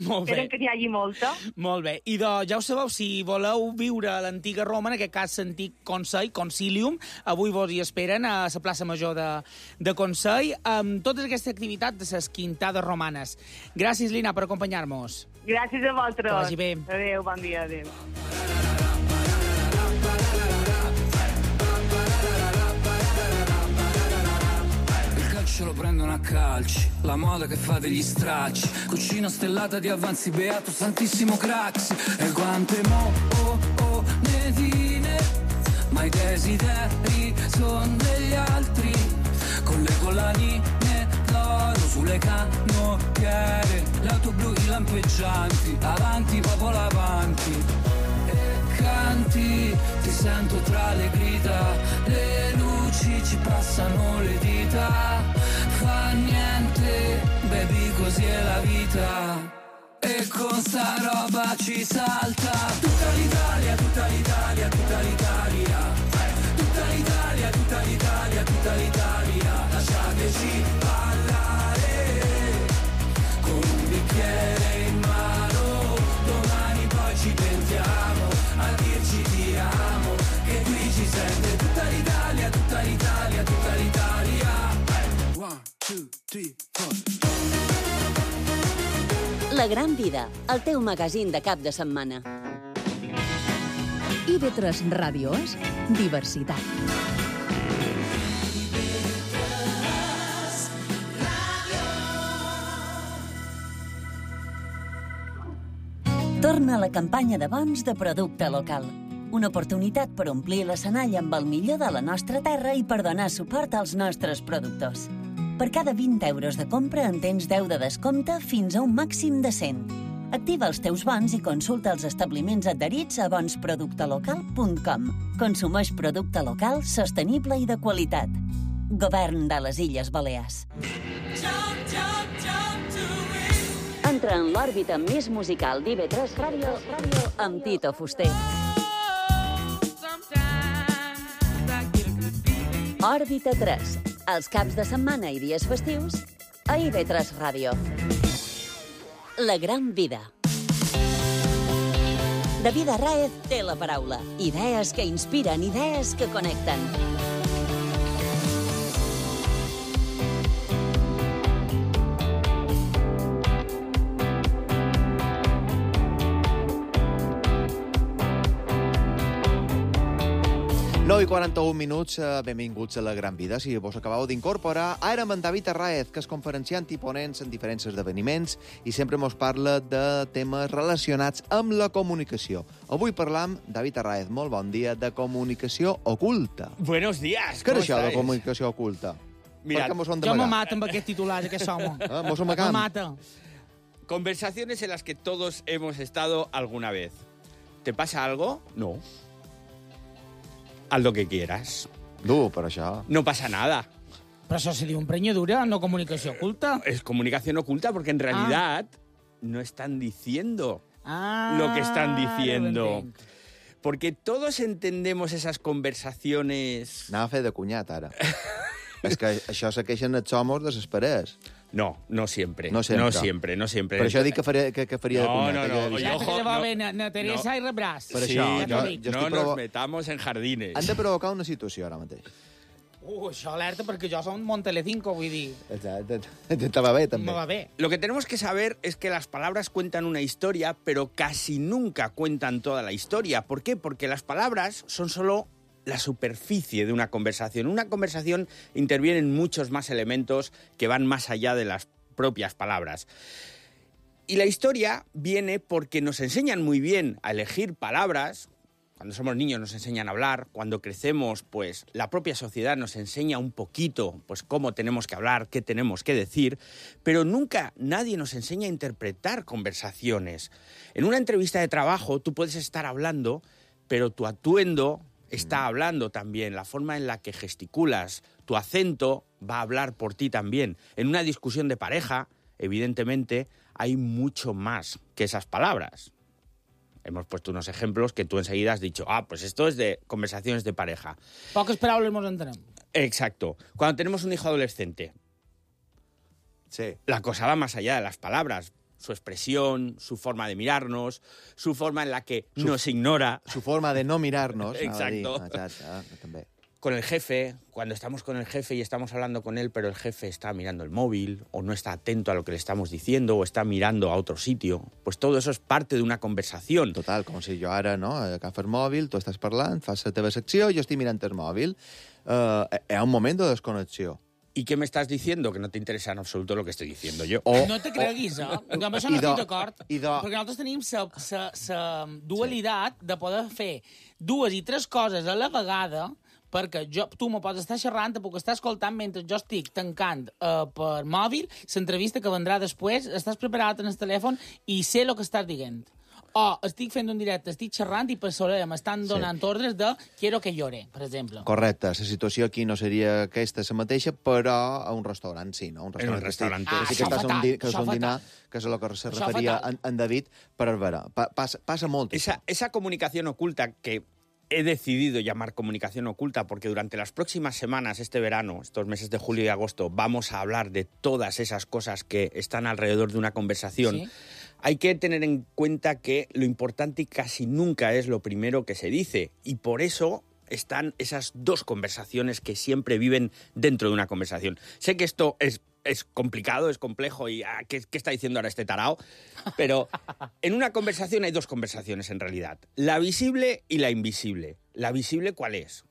Molt bé. Esperen que n'hi hagi molta. Molt bé. I doncs, ja ho sabeu, si voleu viure a l'antiga Roma, en aquest cas l'antic Consell, Concilium, avui vos hi esperen a la plaça Major de, de Consell, amb totes aquestes activitats de les quintades romanes. Gràcies, Lina, per acompanyar-nos. Gràcies a vosaltres. Que vagi bé. Adéu, bon dia, adéu. Il calcio lo prendono a casa. calci, la moda che fa degli stracci, cucina stellata di avanzi, beato santissimo Craxi. E quante mo, oh, oh, netine, ma i desideri son degli altri, con le collanine d'oro sulle canottiere, l'auto blu, i lampeggianti, avanti, popolo avanti. Canti, ti sento tra le grida, le luci ci passano le dita, fa niente, baby, così è la vita, e con sta roba ci salta tutta l'Italia, tutta l'Italia, tutta l'Italia, tutta l'Italia, tutta l'Italia, tutta l'Italia, lasciateci ballare con un bicchiere in mano, domani poi ci pentiamo a dirci ti amo, che qui ci sente tutta l'Italia, tutta l'Italia, tutta l'Italia. One, two, three, four. La Gran Vida, el teu magazín de cap de setmana. I V tres Ràdio és diversitat. Torna la campanya de bons de producte local. Una oportunitat per omplir l'escenari amb el millor de la nostra terra i per donar suport als nostres productors. Per cada vint euros de compra en tens deu de descompte fins a un màxim de cent. Activa els teus bons i consulta els establiments adherits a bons producte local punt com. Consumeix producte local, sostenible i de qualitat. Govern de les Illes Balears. Entra en l'òrbita més musical d'I V tres Ràdio amb Tito Fuster. Òrbita tres, els caps de setmana i dies festius a I V tres Ràdio. La Gran Vida. David Arráez té la paraula. Idees que inspiren, idees que connecten. nou i quaranta-un minuts, benvinguts a La Gran Vida. Si vos acabeu d'incorporar, ara amb en David Arráez, que és conferenciant i ponent en diferents esdeveniments i sempre mos parla de temes relacionats amb la comunicació. Avui parlam, David Arráez, molt bon dia, de comunicació oculta. Buenos días, Què és això de estáis? comunicació oculta? Mirad, Per què mos ho han Jo me d'amagar? mata amb aquest titular, aquest home. Ah, mos ho Me amagam? mata. Conversaciones en las que todos hemos estado alguna vez. ¿Te pasa algo? No. Haz lo que quieras. Du, per això. No pasa nada. Però això se diu emprenyadura, no comunicació oculta. Es comunicación oculta porque en realidad no están diciendo Ah, lo que están ara ho diciendo. entenc. Porque todos entendemos esas conversaciones... Anava a fer de cunyat, ara. És que això se queixen els homes desesperats. No, no siempre. No sempre. No siempre, no siempre. Per això dic que, faré, que, que faria de No, cunyat. no, que no, ja he oye, vist. Saps ojo, que va no, bé, na, na Teresa no. i Rebràs. Per Sí, això, ja no, t'ho dic. jo no estic nos provo- metamos en jardines. Han de provocar una situació ara mateix. Uh, això alerta perquè jo som Montelecinco, vull dir, Exacte. Te va bé, també. me va bé. Lo que tenemos que saber es que las palabras cuentan una historia, pero casi nunca cuentan toda la historia. ¿Por qué? Porque las palabras son solo la superficie de una conversación. Una conversación intervienen muchos más elementos que van más allá de las propias palabras. Y la historia viene porque nos enseñan muy bien a elegir palabras. Cuando somos niños nos enseñan a hablar, cuando crecemos, pues la propia sociedad nos enseña un poquito pues cómo tenemos que hablar, qué tenemos que decir, pero nunca nadie nos enseña a interpretar conversaciones. En una entrevista de trabajo tú puedes estar hablando, pero tu atuendo está hablando también, la forma en la que gesticulas, tu acento va a hablar por ti también. En una discusión de pareja, evidentemente, hay mucho más que esas palabras. Hemos puesto unos ejemplos que tú enseguida has dicho, ah, pues esto es de conversaciones de pareja. Poques paraules mos entenem. Exacto. Cuando tenemos un hijo adolescente, Sí. la cosa va más allá de las palabras. Su expresión, su forma de mirarnos, su forma en la que Su- nos ignora. Su forma de no mirar-nos. anava a dir. Exacto. Exacte, ah, també. Con el jefe, cuando estamos con el jefe y estamos hablando con él, pero el jefe está mirando el móvil, o no está atento a lo que le estamos diciendo, o está mirando a otro sitio, pues todo eso es parte de una conversación. Total, com si jo ara, no, agafo el mòbil, tu estàs parlant, fas la teva secció, jo estic mirant el mòbil. Uh, hi ha un moment de desconnexió. ¿Y qué me estàs diciendo? Que no te interesa en absoluto lo que estoy diciendo yo. O, no te creguis, eh? Amb això no estic d'acord, de... perquè nosaltres tenim la dualitat sí. de poder fer dues i tres coses a la vegada, perquè jo, tu me pots estar xerrant, te puc estar escoltant mentre jo estic tancant eh, per mòbil l'entrevista que vendrà després, estàs preparat en el telèfon i sé el que estàs dient. O estic fent un directe, estic xerrant i per sobre m'estan donant sí. ordres de quiero que llore, per exemple. Correcte. La situació aquí no seria aquesta la mateixa, però a un restaurant sí, no? Un restaurant, un restaurant. Ah, sí que estàs un, di que és un dinar, que és el que se referia en, en David, per veure, pa, passa, passa molt. Esa, esa comunicación oculta que he decidido llamar comunicación oculta porque durante las próximas semanas, este verano, estos meses de julio y agosto, vamos a hablar de todas esas cosas que están alrededor de una conversación. ¿Sí? Hay que tener en cuenta que lo importante casi nunca es lo primero que se dice y por eso están esas dos conversaciones que siempre viven dentro de una conversación. Sé que esto es, es complicado, es complejo y ah, ¿qué, ¿qué está diciendo ahora este tarao? Pero en una conversación hay dos conversaciones en realidad, la visible y la invisible. ¿La visible cuál es?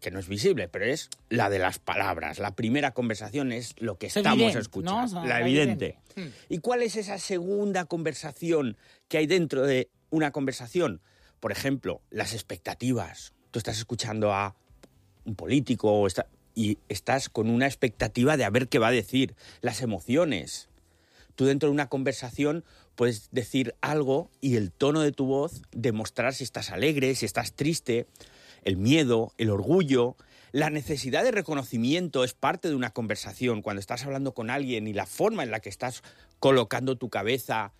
Que no es visible, pero es la de las palabras. La primera conversación es lo que estamos evidente, escuchando, ¿no? O sea, la evidente. evidente. ¿Y cuál es esa segunda conversación que hay dentro de una conversación? Por ejemplo, las expectativas. Tú estás escuchando a un político o está, y estás con una expectativa de a ver qué va a decir. Las emociones. Tú dentro de una conversación puedes decir algo y el tono de tu voz demostrar si estás alegre, si estás triste. El miedo, el orgullo, la necesidad de reconocimiento es parte de una conversación. Cuando estás hablando con alguien y la forma en la que estás colocando tu cabeza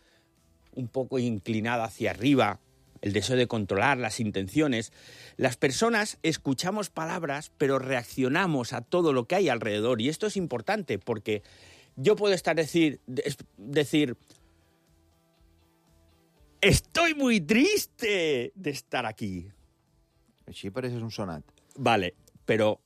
un poco inclinada hacia arriba, el deseo de controlar las intenciones. Las personas escuchamos palabras, pero reaccionamos a todo lo que hay alrededor. Y esto es importante porque yo puedo estar decir, decir estoy muy triste de estar aquí. Així pareces un sonat. Vale, pero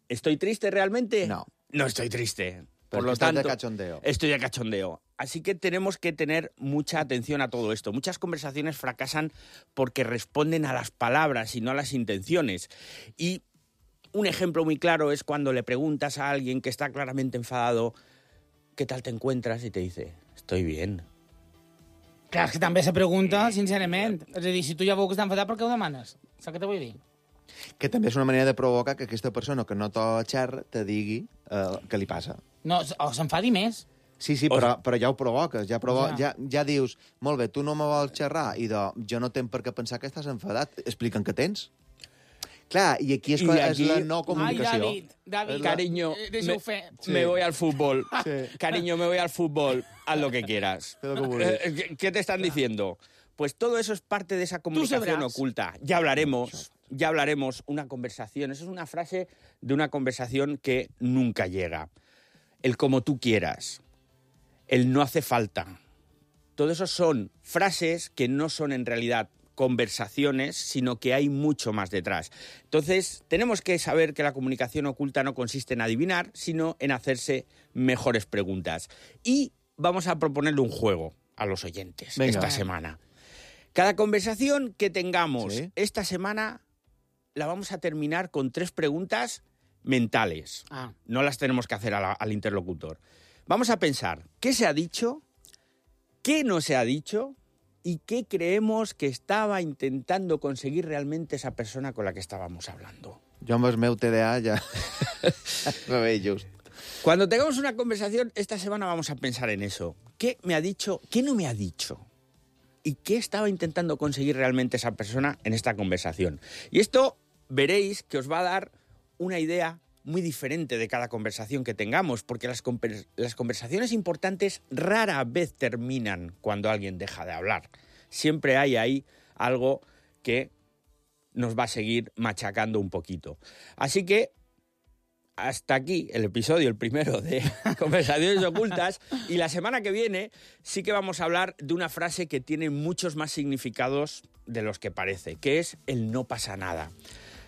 ¿estoy triste realmente? No. No estoy triste. Por lo tanto, de cachondeo. Estoy de cachondeo. Así que tenemos que tener mucha atención a todo esto. Muchas conversaciones fracasan porque responden a las palabras y no a las intenciones. Y un ejemplo muy claro es cuando le preguntas a alguien que está claramente enfadado ¿qué tal te encuentras? Y te dice, estoy bien. Clar, és que també se pregunta, sincerament. És a dir, si tu ja veus que està enfadat, per què ho demanes? Saps què te vull dir? Que també és una manera de provocar que aquesta persona que no te xerra te digui eh, què li passa. No, o s'enfadi més. Sí, sí, però, però ja ho provoques. Ja, provo ja. Ja, ja dius, molt bé, tu no me vols xerrar i de, jo no tenc per què pensar que estàs enfadat. Explica'm què tens. Clar, i aquí és, I aquí... és la no comunicació. Ai, David, David, la... cariño, eh, me, sí. me voy al fútbol. Sí. Cariño, me voy al fútbol. Haz lo que quieras. ¿Qué, ¿Qué te están diciendo? Pues todo eso es parte de esa comunicación oculta. Ya hablaremos, ya hablaremos. Una conversación, eso es una frase de una conversación que nunca llega. El como tú quieras. El no hace falta. Todo eso son frases que no son en realidad conversaciones, sino que hay mucho más detrás. Entonces, tenemos que saber que la comunicación oculta no consiste en adivinar, sino en hacerse mejores preguntas. Y vamos a proponerle un juego a los oyentes. Venga. Esta semana. Cada conversación que tengamos ¿sí? esta semana la vamos a terminar con tres preguntas mentales. Ah. No las tenemos que hacer a la, al interlocutor. Vamos a pensar qué se ha dicho, qué no se ha dicho y qué creemos que estaba intentando conseguir realmente esa persona con la que estábamos hablando. Jo amb el meu T D A ja me veig just. Cuando tengamos una conversación, esta semana vamos a pensar en eso. ¿Qué me ha dicho? ¿Qué no me ha dicho? ¿Y qué estaba intentando conseguir realmente esa persona en esta conversación? Y esto veréis que os va a dar una idea muy diferente de cada conversación que tengamos, porque las, conver las conversaciones importantes rara vez terminan cuando alguien deja de hablar. Siempre hay ahí algo que nos va a seguir machacando un poquito. Así que hasta aquí el episodio, el primero de Conversaciones Ocultas, y la semana que viene sí que vamos a hablar de una frase que tiene muchos más significados de los que parece, que es el no pasa nada.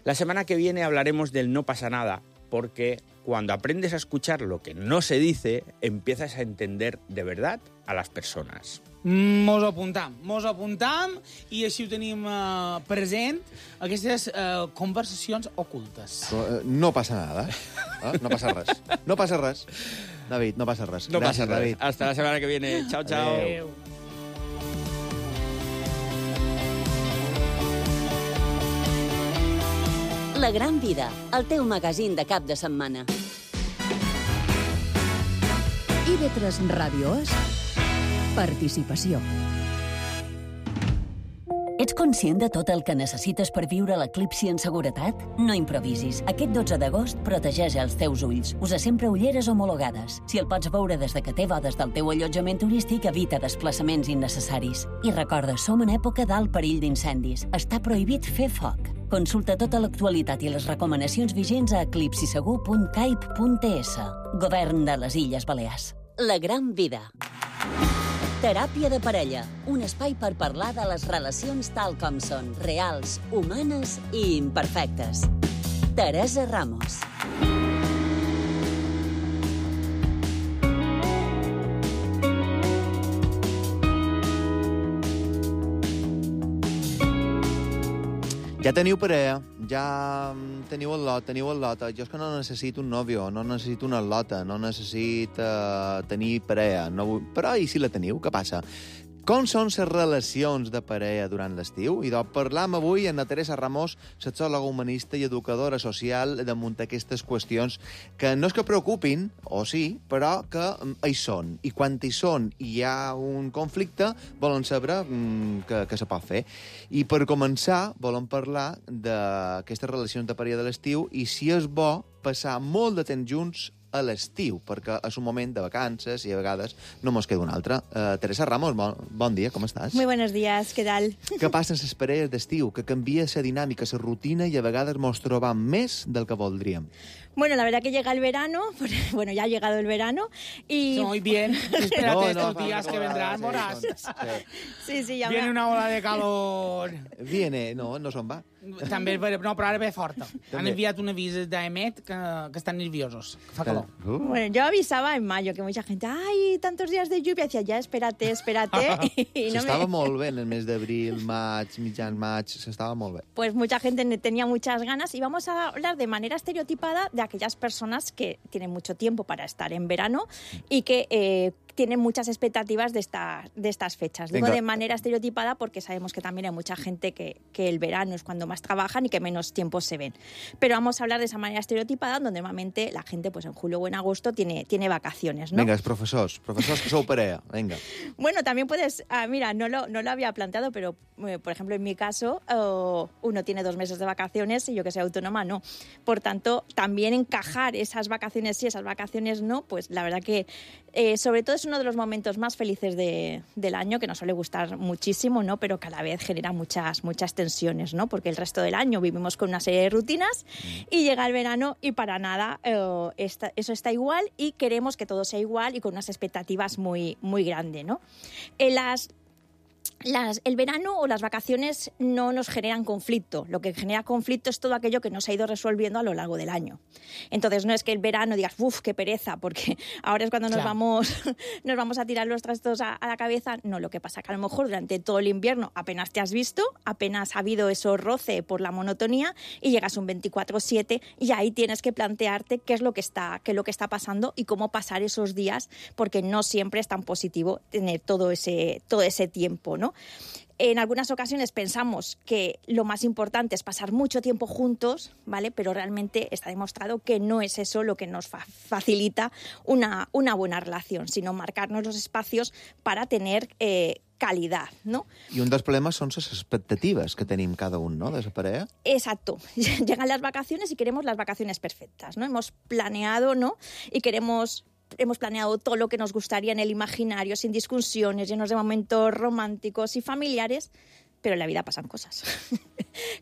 La semana que viene hablaremos del no pasa nada, porque cuando aprendes a escuchar lo que no se dice, empiezas a entender de verdad a las personas. Mos ho apuntam, mos ho apuntam i així ho tenim uh, present, aquestes uh, conversacions ocultes. No passa nada, eh? No passa res. No passa res. David, no passa res. No Gràcies, passa res. David. Hasta la setmana que viene. Chao, chao. Adéu. La Gran Vida, el teu magazín de cap de setmana. I ve tres Ràdios. Participació. Ets conscient de tot el que necessites per viure l'eclipsi en seguretat? No improvisis. Aquest dotze d'agost protegeix els teus ulls. Usa sempre ulleres homologades. Si el pots veure des de que té bodes del teu allotjament turístic, evita desplaçaments innecessaris. I recorda, som en època d'alt perill d'incendis. Està prohibit fer foc. Consulta tota l'actualitat i les recomanacions vigents a eclipsisegur punt caip punt es. Govern de les Illes Balears. La Gran Vida. Teràpia de parella, un espai per parlar de les relacions tal com són, reals, humanes i imperfectes. Teresa Ramos. Ja teniu parella, ja teniu el lot, teniu el lot. Jo és que no necessito un nòvio, no necessito una lota, no necessito uh, tenir parella. No vull... Però i si la teniu, què passa? Com són les relacions de parella durant l'estiu? I doncs parlam avui amb la Teresa Ramos, sexòloga humanista i educadora social, damunt aquestes qüestions que no és que preocupin, o sí, però que hi són. I quan hi són i hi ha un conflicte, volen saber mm, que, que se pot fer. I per començar, volen parlar d'aquestes relacions de parella de l'estiu i si és bo passar molt de temps junts a l'estiu, perquè és un moment de vacances i a vegades no mos queda un altre. Uh, Teresa Ramos, bon, bon dia, com estàs? Muy buenos días, ¿qué tal? Què passa amb les parelles d'estiu? Que canvia la dinàmica, la rutina i a vegades mos trobam més del que voldríem. Bueno, la verdad que llega el verano, bueno, ya ha llegado el verano y... Muy bien, espérate no, estos no, días no, que vendrán, Moras. Sí, sí, ya Viene me... una ola de calor. Viene, no, no se'n va. També, no, però ara ve forta. Han enviat un avís d'Emet que, que estan nerviosos, que fa calor. Uh. Bueno, yo avisaba en mayo que mucha gente, ay, tantos días de lluvia, decía, ya, espérate, espérate. Y no s'estava me... molt bé en el mes d'abril, maig, mitjan maig, s'estava molt bé. Pues mucha gente tenía muchas ganas y vamos a hablar de manera estereotipada de aquellas personas que tienen mucho tiempo para estar en verano y que eh, tienen muchas expectativas de, esta, de estas fechas. Digo Venga. de manera estereotipada porque sabemos que también hay mucha gente que, que el verano es cuando más trabajan y que menos tiempo se ven. Pero vamos a hablar de esa manera estereotipada donde normalmente la gente pues en julio o en agosto tiene, tiene vacaciones, ¿no? Venga, profesores, profesores que sou parella, venga. Bueno, también puedes, ah, mira, no lo, no lo había planteado, pero eh, por ejemplo en mi caso oh, uno tiene dos meses de vacaciones y yo que soy autónoma no. Por tanto, también encajar esas vacaciones sí, esas vacaciones no, pues la verdad que eh, sobre todo es uno de los momentos más felices de, del año, que nos suele gustar muchísimo, ¿no? Pero que a la vez genera muchas, muchas tensiones, ¿no? Porque el resto del año vivimos con una serie de rutinas y llega el verano y para nada eh, esta, eso está igual y queremos que todo sea igual y con unas expectativas muy, muy grandes, ¿no? En las Las, el verano o las vacaciones no nos generan conflicto. Lo que genera conflicto es todo aquello que no se ha ido resolviendo a lo largo del año. Entonces no es que el verano digas, uff, qué pereza, porque ahora es cuando nos, claro. vamos, nos vamos a tirar los trastos a, a la cabeza. No, lo que pasa es que a lo mejor durante todo el invierno apenas te has visto, apenas ha habido eso roce por la monotonía y llegas un veinticuatro siete y ahí tienes que plantearte qué es lo que está, qué es lo que está pasando y cómo pasar esos días, porque no siempre es tan positivo tener todo ese, todo ese tiempo, ¿no? En algunas ocasiones pensamos que lo más importante es pasar mucho tiempo juntos, ¿vale? Pero realmente está demostrado que no es eso lo que nos fa- facilita una, una buena relación, sino marcarnos los espacios para tener eh, calidad, ¿no? I un dels problemes són les expectatives que tenim cada un, ¿no?, de la parella. Exacto. Llegan las vacaciones y queremos las vacaciones perfectas, ¿no? Hemos planeado, ¿no? Y queremos... Hemos planeado todo lo que nos gustaría en el imaginario, sin discusiones, llenos de momentos románticos y familiares, pero en la vida pasan cosas.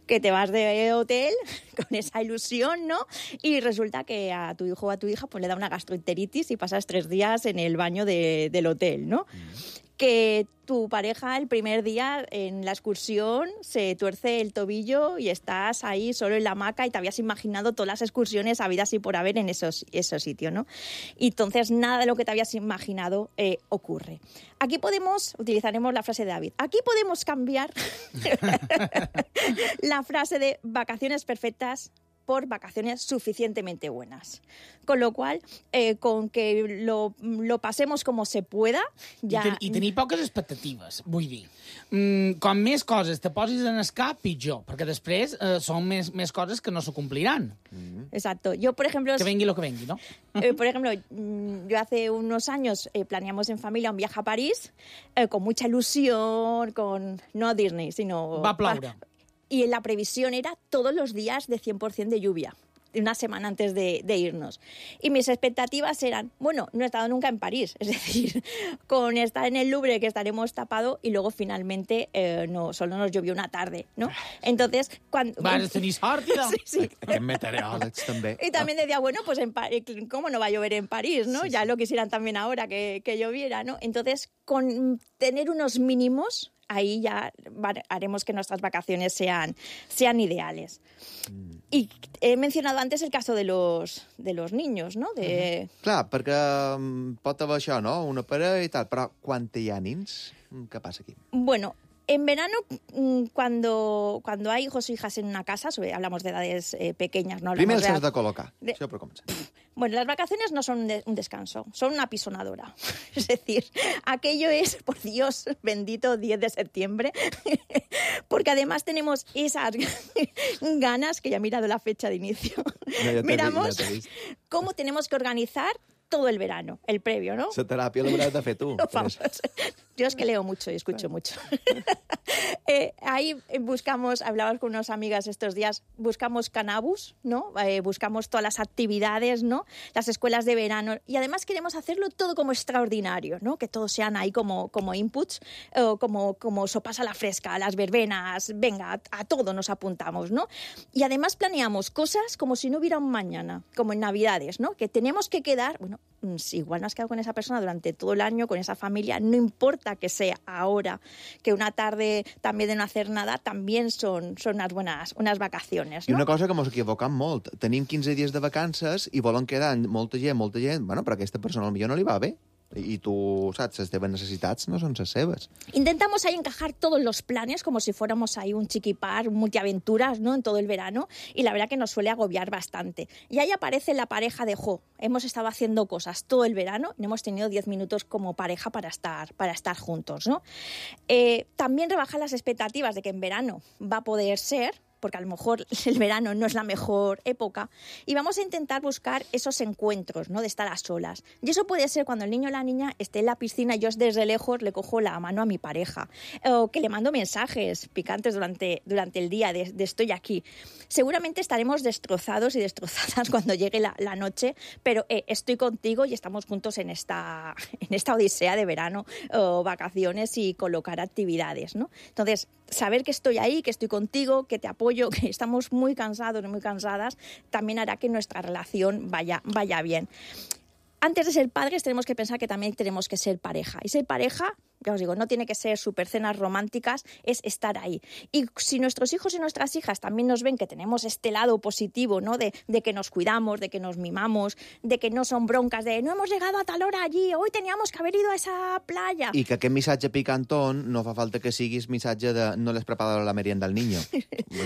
Que te vas de hotel con esa ilusión, ¿no? Y resulta que a tu hijo o a tu hija pues le da una gastroenteritis y pasas tres días en el baño de, del hotel, ¿no? Mm. que tu pareja el primer día en la excursión se tuerce el tobillo y estás ahí solo en la hamaca y te habías imaginado todas las excursiones habidas y por haber en esos, esos sitios, ¿no? Y entonces nada de lo que te habías imaginado eh, ocurre. Aquí podemos, utilizaremos la frase de David, aquí podemos cambiar la frase de vacaciones perfectas por vacaciones suficientemente buenas. Con lo cual, eh, con que lo, lo passemos com se pueda, ja... I, ten, I tenir poques expectatives, vull dir. Mm, com més coses te posis en el cap, pitjor, perquè després eh, són més, més coses que no se cumpliran. Mm. Exacto. Yo, por ejemplo... Que venga lo que venga, ¿no? Eh, por ejemplo, yo hace unos años eh, planeamos en familia un viaje a París eh, con mucha ilusión, con no a Disney, sino... Va a ploure. Y la previsión era todos los días de cien por ciento de lluvia, una semana antes de, de irnos. Y mis expectativas eran, bueno, no he estado nunca en París, es decir, con estar en el Louvre que estaremos tapados y luego finalmente eh, no, solo nos llovió una tarde, ¿no? Entonces, cuando... Vas tenir sort, ¿no? Sí, sí. Aquests meteoròlegs, també. Y también decía, bueno, pues en Pa- ¿cómo no va a llover en París, no? Sí, Ya sí. lo quisieran también ahora que, que lloviera, ¿no? Entonces, con tener unos mínimos, ahí ya va- haremos que nuestras vacaciones sean, sean ideales. Mm. Y he mencionado antes el caso de los, de los niños, ¿no? De... Clar, perquè mm, pot haver això, no? Una parella i tal, però quan hi ha nins, mm, què passa aquí? Bueno, en verano, mm, cuando, cuando hay hijos o hijas en una casa, sobre- hablamos de edades eh, pequeñas, no Primer hablamos els has de... de col·locar, de- això per començar. Bueno, las vacaciones no son un, de- un descanso, son una pisonadora. Es decir, aquello es, por Dios bendito, diez de septiembre, porque además tenemos esas ganas, que ya he mirado la fecha de inicio, No, ja t'he miramos vist, ja t'he vist. cómo tenemos que organizar todo el verano, el previo, ¿no? La teràpia l'hauràs de fer tu. No, per vamos. això. Yo es que leo mucho y escucho mucho. eh, ahí buscamos, hablamos con unas amigas estos días, buscamos Canabus, ¿no? Eh, buscamos todas las actividades, ¿no? Las escuelas de verano. Y además queremos hacerlo todo como extraordinario, ¿no? Que todos sean ahí como, como inputs, o como, como sopas a la fresca, las verbenas, venga, a, a todo nos apuntamos, ¿no? Y además planeamos cosas como si no hubiera un mañana, como en Navidades, ¿no? Que tenemos que quedar, bueno, mm, si igual no has quedado con esa persona durante todo el año, con esa familia, no importa que sea ahora, que una tarde también de no hacer nada, también son, son unas buenas unas vacaciones, I ¿no? una cosa que mos equivocam molt. Tenim quinze dies de vacances i volen quedar amb molta gent, molta gent... Bueno, però a aquesta persona potser no li va bé. I tu, saps, les teves necessitats no són les seves. Intentamos ahí encajar todos los planes como si fuéramos ahí un chiquipar, un multiaventuras, ¿no? En todo el verano, y la verdad que nos suele agobiar bastante. Y ahí aparece la pareja de Jo. Hemos estado haciendo cosas todo el verano y no hemos tenido diez minutos como pareja para estar, para estar juntos, ¿no? Eh, también rebajar las expectativas de que en verano va a poder ser, porque a lo mejor el verano no es la mejor época, y vamos a intentar buscar esos encuentros, ¿no? De estar a solas. Y eso puede ser cuando el niño o la niña esté en la piscina y yo desde lejos le cojo la mano a mi pareja, o que le mando mensajes picantes durante, durante el día de, de estoy aquí. Seguramente estaremos destrozados y destrozadas cuando llegue la, la noche, pero eh, estoy contigo y estamos juntos en esta, en esta odisea de verano o vacaciones y colocar actividades, ¿no? Entonces, saber que estoy ahí, que estoy contigo, que te apoyo, que estamos muy cansados y muy cansadas, también hará que nuestra relación vaya, vaya bien. Antes de ser padres tenemos que pensar que también tenemos que ser pareja. Y ser pareja, ya os digo, no tiene que ser super cenas románticas, es estar ahí. Y si nuestros hijos y nuestras hijas también nos ven que tenemos este lado positivo, ¿no? De, de que nos cuidamos, de que nos mimamos, de que no son broncas, de no hemos llegado a tal hora allí, hoy teníamos que haber ido a esa playa. I que aquest missatge picantón no fa falta que siguis missatge de no les preparado la merienda al niño.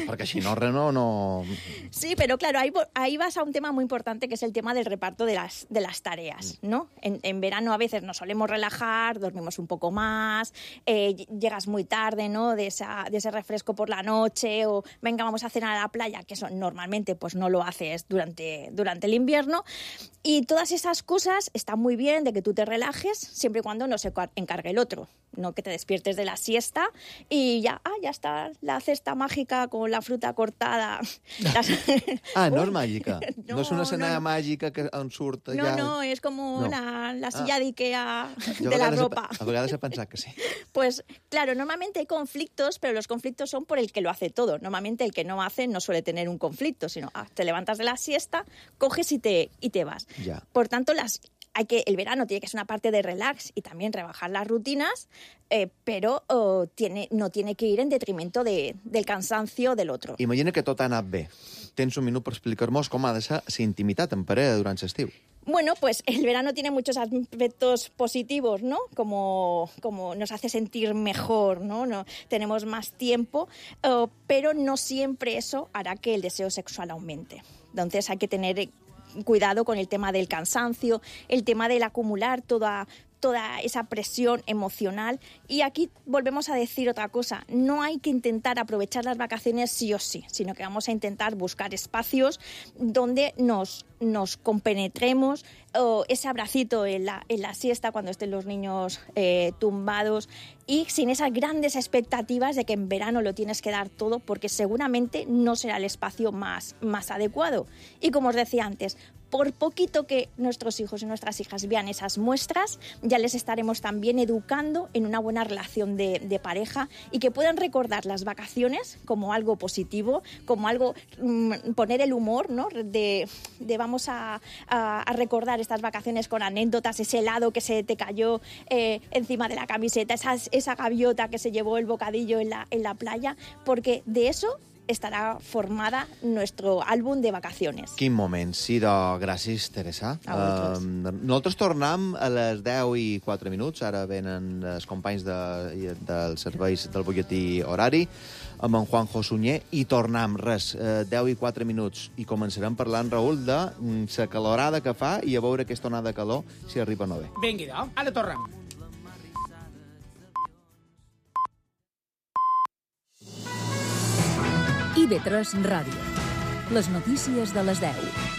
Perquè si no, no, no... Sí, pero claro, ahí, ahí vas a un tema muy importante que es el tema del reparto de las, de las tareas, ¿no? En, en verano a veces nos solemos relajar, dormimos un poco más, eh, llegas muy tarde, ¿no? De, esa, de ese refresco por la noche, o venga, vamos a cenar a la playa, que eso normalmente pues no lo haces durante, durante el invierno. Y todas esas cosas están muy bien de que tú te relajes, siempre y cuando no se encargue el otro. No que te despiertes de la siesta y ya, ah, ya está la cesta mágica con la fruta cortada. Las... Ah, no és màgica. No, No, no és una escena no, no. màgica que en surt No, ja... no, es como No. la, la silla Ah. de Ikea Jo de a la vegades he ropa. pe- A vegades he pensat que sí. Pues claro, normalmente hay conflictos, pero los conflictos son por el que lo hace todo. Normalmente el que no hace no suele tener un conflicto, sino ah, te levantas de la siesta, coges y te, y te vas. Ja. Por tanto, las hay que, el verano tiene que ser una parte de relax y también rebajar las rutinas, eh, però oh, tiene, no tiene que ir en detrimento de, del cansancio del otro. Imagina que tot ha anat bé. Tens un minut per explicar-nos com ha de ser la intimitat en parella durant l'estiu. Bueno, pues el verano tiene muchos aspectos positivos, ¿no? Como, como nos hace sentir mejor, ¿no? No tenemos más tiempo, uh, pero no siempre eso hará que el deseo sexual aumente. Entonces hay que tener cuidado con el tema del cansancio, el tema del acumular toda... toda esa presión emocional. Y aquí volvemos a decir otra cosa, no hay que intentar aprovechar las vacaciones sí o sí, sino que vamos a intentar buscar espacios donde nos, nos compenetremos, o ese abracito en la, en la siesta cuando estén los niños eh, tumbados, y sin esas grandes expectativas de que en verano lo tienes que dar todo, porque seguramente no será el espacio más, más adecuado. Y como os decía antes, por poquito que nuestros hijos y nuestras hijas vean esas muestras, ya les estaremos también educando en una buena relación de, de pareja, y que puedan recordar las vacaciones como algo positivo, como algo, mmm, poner el humor, ¿no? De, de vamos a, a, a recordar estas vacaciones con anécdotas, ese helado que se te cayó eh, encima de la camiseta, esa, esa gaviota que se llevó el bocadillo en la, en la playa, porque de eso estarà formada nuestro àlbum de vacaciones. Quin moment. Sí, doncs, gràcies, Teresa. A vosaltres. Uh, nosaltres tornem a les deu i quatre minuts. Ara venen els companys de, dels serveis del butlletí horari amb en Juanjo Sunyer i tornem, res, uh, deu i quatre minuts. I començarem parlant, Raül, de la calorada que fa i a veure aquesta onada de calor si arriba o no bé. Vingui, doncs. Ara tornem. I ve tres Ràdio. Les notícies de les deu.